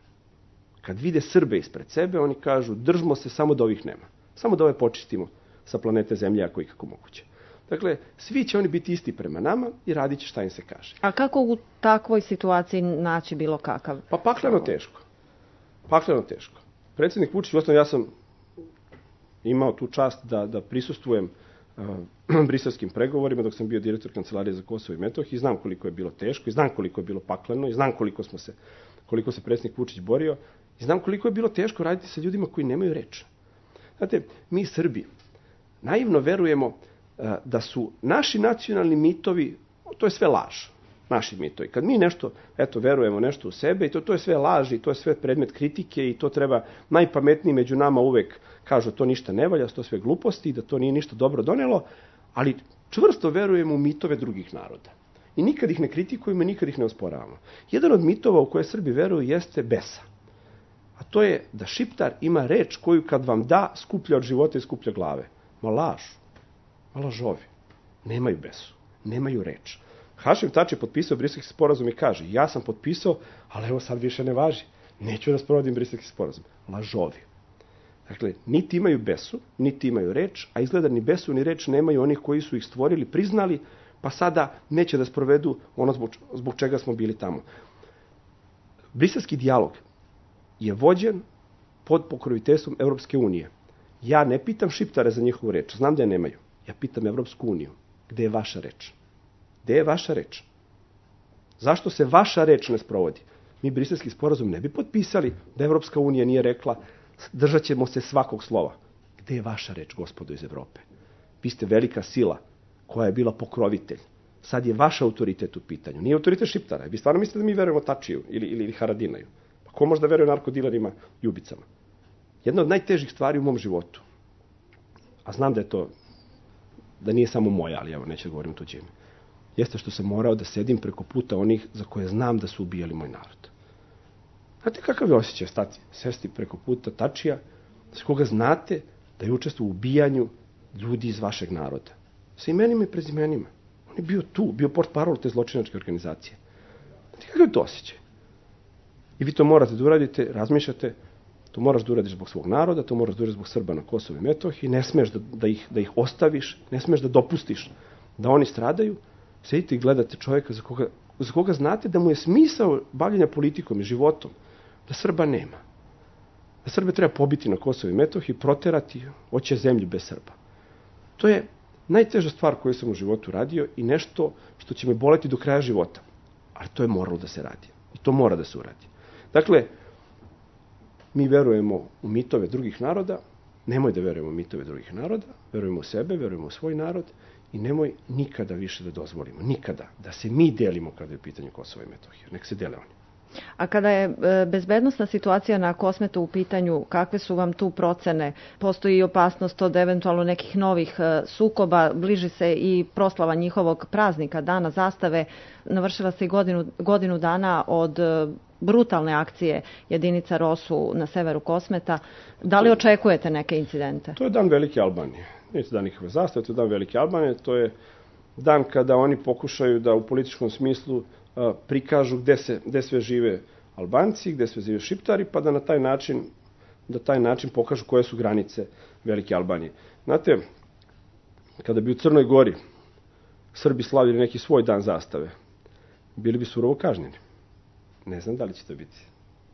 Kad vide Srbe ispred sebe, oni kažu držimo se samo da ovih nema. Samo da ove počistimo sa planete Zemlje ako je kako moguće. Dakle, svi će oni biti isti prema nama i radit će šta im se kaže. A kako u takvoj situaciji naći bilo kakav? Pa pakleno teško. Pakleno teško. Predsjednik Vučić, uostalom ja sam imao tu čast da, da prisustvujem uh, briselskim pregovorima dok sam bio direktor Kancelarije za Kosovo i Metohiju i znam koliko je bilo teško i znam koliko je bilo pakleno i znam koliko smo se, koliko se predsjednik Vučić borio i znam koliko je bilo teško raditi sa ljudima koji nemaju reč. Znate, mi Srbi naivno verujemo uh, da su naši nacionalni mitovi, to je sve laž. Naši mitovi. Kad mi nešto, eto, verujemo nešto u sebe i to, to je sve laž i to je sve predmet kritike i to treba najpametniji među nama uvek kažu to ništa ne valja, to sve gluposti i da to nije ništa dobro donelo, ali čvrsto verujemo u mitove drugih naroda. I nikad ih ne kritikujemo i nikad ih ne osporavamo. Jedan od mitova u koje Srbi veruju jeste besa. A to je da Šiptar ima reč koju kad vam da skuplja od života i skuplja glave. Ma laž. Ma lažovi. Nemaju besu. Nemaju reč. Hašim Tači je potpisao briselski sporazum i kaže ja sam potpisao, ali evo sad više ne važi. Neću da sprovodim briselski sporazum. Lažovi. Dakle, niti imaju besu, niti imaju reč, a izgleda ni besu ni reč nemaju onih koji su ih stvorili, priznali, pa sada neće da sprovedu ono zbog, zbog čega smo bili tamo. Briselski dijalog je vođen pod pokroviteljstvom Evropske unije. Ja ne pitam Šiptare za njihovu reč, znam da je nemaju. Ja pitam Evropsku uniju. Gde je vaša reč? Gde je vaša reč? Zašto se vaša reč ne sprovodi? Mi briselski sporazum ne bi potpisali da Evropska unija nije rekla držat ćemo se svakog slova. Gde je vaša reč, gospodo iz Evrope? Vi ste velika sila koja je bila pokrovitelj. Sad je vaš autoritet u pitanju. Nije autoritet Šiptara. Vi stvarno mislite da mi verujemo Tačiju ili, ili, ili Haradinaju? Pa ko može da veruje narkodilerima i ubicama? Jedna od najtežih stvari u mom životu, a znam da je to, da nije samo moja, ali evo neću da govorim o tuđe ime, jeste što sam morao da sedim preko puta onih za koje znam da su ubijali moj narod. Znate kakav je osjećaj stati, sesti preko puta Tačija, s koga znate da je učestvovao u ubijanju ljudi iz vašeg naroda. Sa imenima i prezimenima. On je bio tu, bio portparol te zločinačke organizacije. Znate kakav je to osjećaj? I vi to morate da uradite, razmišljate, to moraš da uradiš zbog svog naroda, to moraš da uradiš zbog Srba na Kosovu i Metohiji, ne smeš da, da, ih, da ih ostaviš, ne smeš da dopustiš da oni stradaju, sedite i gledate čovjeka za koga, za koga znate da mu je smisao bavljenja politikom i životom, da Srba nema. Da Srbe treba pobiti na Kosovu i Metohiji, proterati, hoće zemlju bez Srba. To je najteža stvar koju sam u životu radio i nešto što će me boleti do kraja života. Ali to je moralo da se radi. I to mora da se uradi. Dakle, mi verujemo u mitove drugih naroda, nemoj da verujemo u mitove drugih naroda, verujemo u sebe, verujemo u svoj narod i nemoj nikada više da dozvolimo, nikada, da se mi delimo kada je u pitanju Kosova i Metohije. Nek se dele oni. A kada je bezbednosna situacija na Kosmetu u pitanju, kakve su vam tu procene? Postoji i opasnost od eventualno nekih novih sukoba, bliži se i proslava njihovog praznika, Dana zastave, navršila se i godinu, godinu dana od brutalne akcije jedinica Rosu na severu Kosmeta. Da li očekujete neke incidente? To je dan Velike Albanije. Nije to dan nikakve zastave, to je dan Velike Albanije, to je dan kada oni pokušaju da u političkom smislu prikažu gde, se, gde sve žive Albanci, gde sve žive Šiptari, pa da na taj način da taj način pokažu koje su granice Velike Albanije. Znate, kada bi u Crnoj Gori Srbi slavili neki svoj dan zastave, bili bi surovo kažnjeni. Ne znam da li će to biti.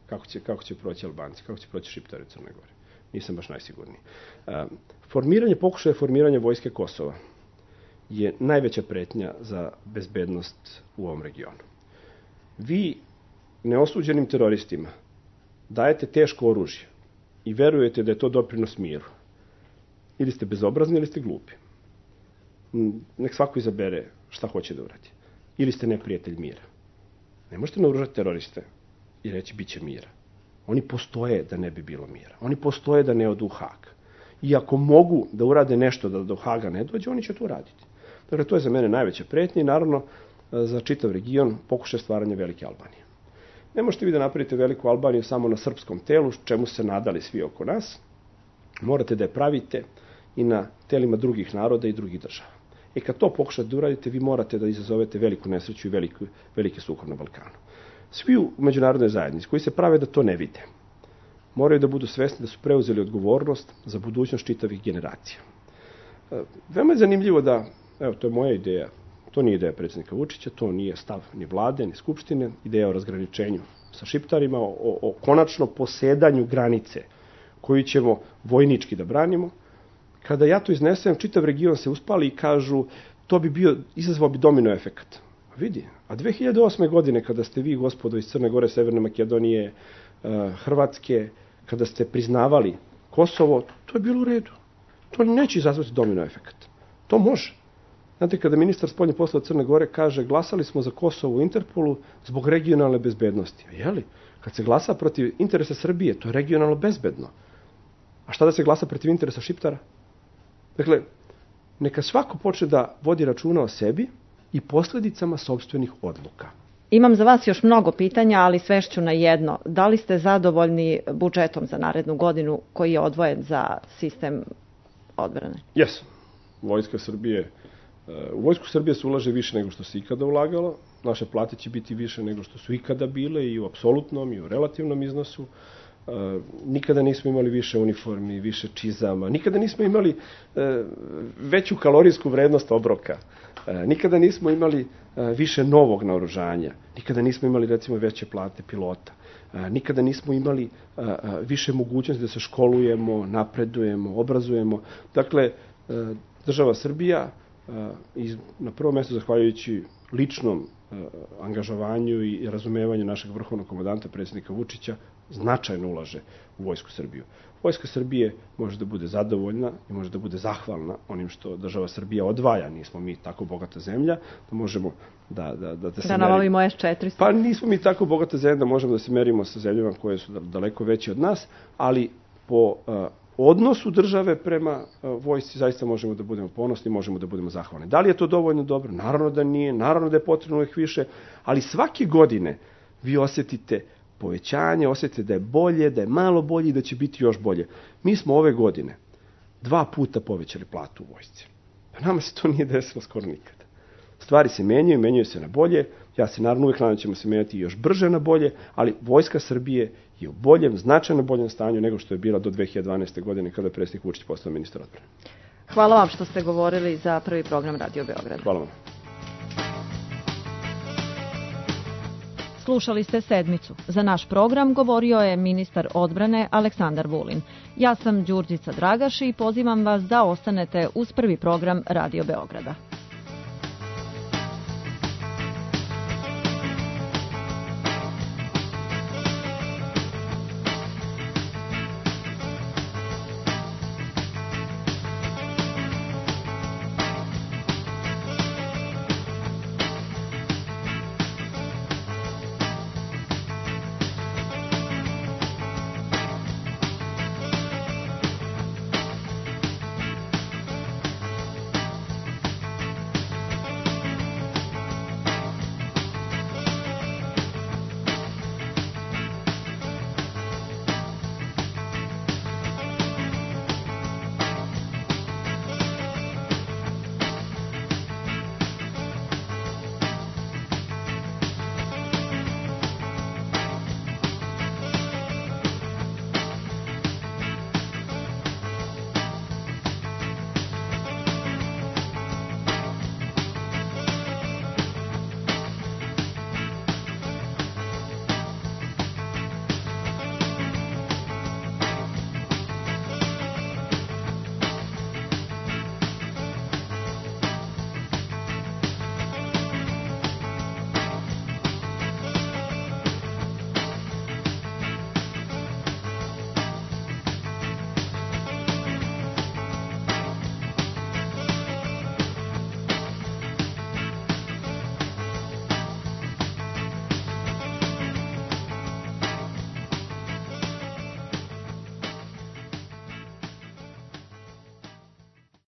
Kako će, kako će proći Albanci, kako će proći Šiptari u Crnoj Gori. Nisam baš najsigurniji. Formiranje, pokušaje formiranja vojske Kosova je najveća pretnja za bezbednost u ovom regionu. Vi neosuđenim teroristima dajete teško oružje i verujete da je to doprinos miru. Ili ste bezobrazni ili ste glupi. Nek svako izabere šta hoće da uradi. Ili ste neprijatelj mira. Ne možete naoružati teroriste i reći bit će mira. Oni postoje da ne bi bilo mira. Oni postoje da ne odu u Hag. I ako mogu da urade nešto da do Haga ne dođe, oni će to uraditi. Dakle, to je za mene najveća pretnja i naravno za čitav region pokušaj stvaranja Velike Albanije. Ne možete vi da napravite Veliku Albaniju samo na srpskom telu, čemu se nadali svi oko nas. Morate da je pravite i na telima drugih naroda i drugih država. I kad to pokušate da uradite, vi morate da izazovete veliku nesreću i veliku, veliki sukob na Balkanu. Svi u međunarodnoj zajednici koji se prave da to ne vide, moraju da budu svesni da su preuzeli odgovornost za budućnost čitavih generacija. Veoma je zanimljivo da, evo, to je moja ideja, to nije ideja predsjednika Vučića, to nije stav ni vlade, ni skupštine, ideja o razgraničenju sa Šiptarima, o, o konačno posedanju granice koju ćemo vojnički da branimo. Kada ja to iznesem, čitav region se uspali i kažu to bi bio, izazvao bi domino efekat. Vidi, a dve hiljade osme. godine kada ste vi, gospodo, iz Crne Gore, Severne Makedonije, Hrvatske, kada ste priznavali Kosovo, to je bilo u redu. To neće izazvati domino efekat. To može. Znate, kada ministar spoljnih poslova Crne Gore kaže glasali smo za Kosovo u Interpolu zbog regionalne bezbednosti. Jeli? Kad se glasa protiv interesa Srbije, to je regionalno bezbedno. A šta da se glasa protiv interesa Šiptara? Dakle, neka svako počne da vodi računa o sebi i posljedicama sopstvenih odluka. Imam za vas još mnogo pitanja, ali svešću na jedno. Da li ste zadovoljni budžetom za narednu godinu koji je odvojen za sistem odbrane? Jesam. Vojska Srbije, u Vojsku Srbije se ulaže više nego što se ikada ulagalo. Naše plate će biti više nego što su ikada bile i u apsolutnom i u relativnom iznosu. Nikada nismo imali više uniformi, više čizama, nikada nismo imali veću kalorijsku vrednost obroka, nikada nismo imali više novog naoružanja, nikada nismo imali recimo veće plate pilota, nikada nismo imali više mogućnosti da se školujemo, napredujemo, obrazujemo. Dakle, država Srbija na prvom mjestu zahvaljujući ličnom angažovanju i razumevanju našeg vrhovnog komandanta, predsjednika Vučića, značajno ulaže u Vojsku Srbiju. Vojska Srbije može da bude zadovoljna i može da bude zahvalna onim što država Srbija odvaja. Nismo mi tako bogata zemlja da možemo da... Da, da, da, da nabavimo es četiristo. Pa nismo mi tako bogata zemlja da možemo da se merimo sa zemljama koje su daleko veće od nas, ali po uh, odnosu države prema uh, vojsci zaista možemo da budemo ponosni, možemo da budemo zahvalni. Da li je to dovoljno dobro? Naravno da nije, naravno da je potrebno uvijek više, ali svake godine vi osjetite povećanje, osjetite da je bolje, da je malo bolje i da će biti još bolje. Mi smo ove godine dva puta povećali platu u vojsci. Pa nama se to nije desilo skoro nikada. Stvari se menjaju, menjaju se na bolje. Ja se naravno uvijek nadam da ćemo se menjati još brže na bolje, ali Vojska Srbije je u boljem, značajno boljem stanju nego što je bila do dve hiljade dvanaeste. godine kada je predsjednik Vučić postao ministar odbrane. Hvala vam što ste govorili za prvi program Radio Beograd. Hvala vam. Slušali ste Sedmicu. Za naš program govorio je ministar odbrane Aleksandar Vulin. Ja sam Đurđica Dragaš i pozivam vas da ostanete uz prvi program Radio Beograda.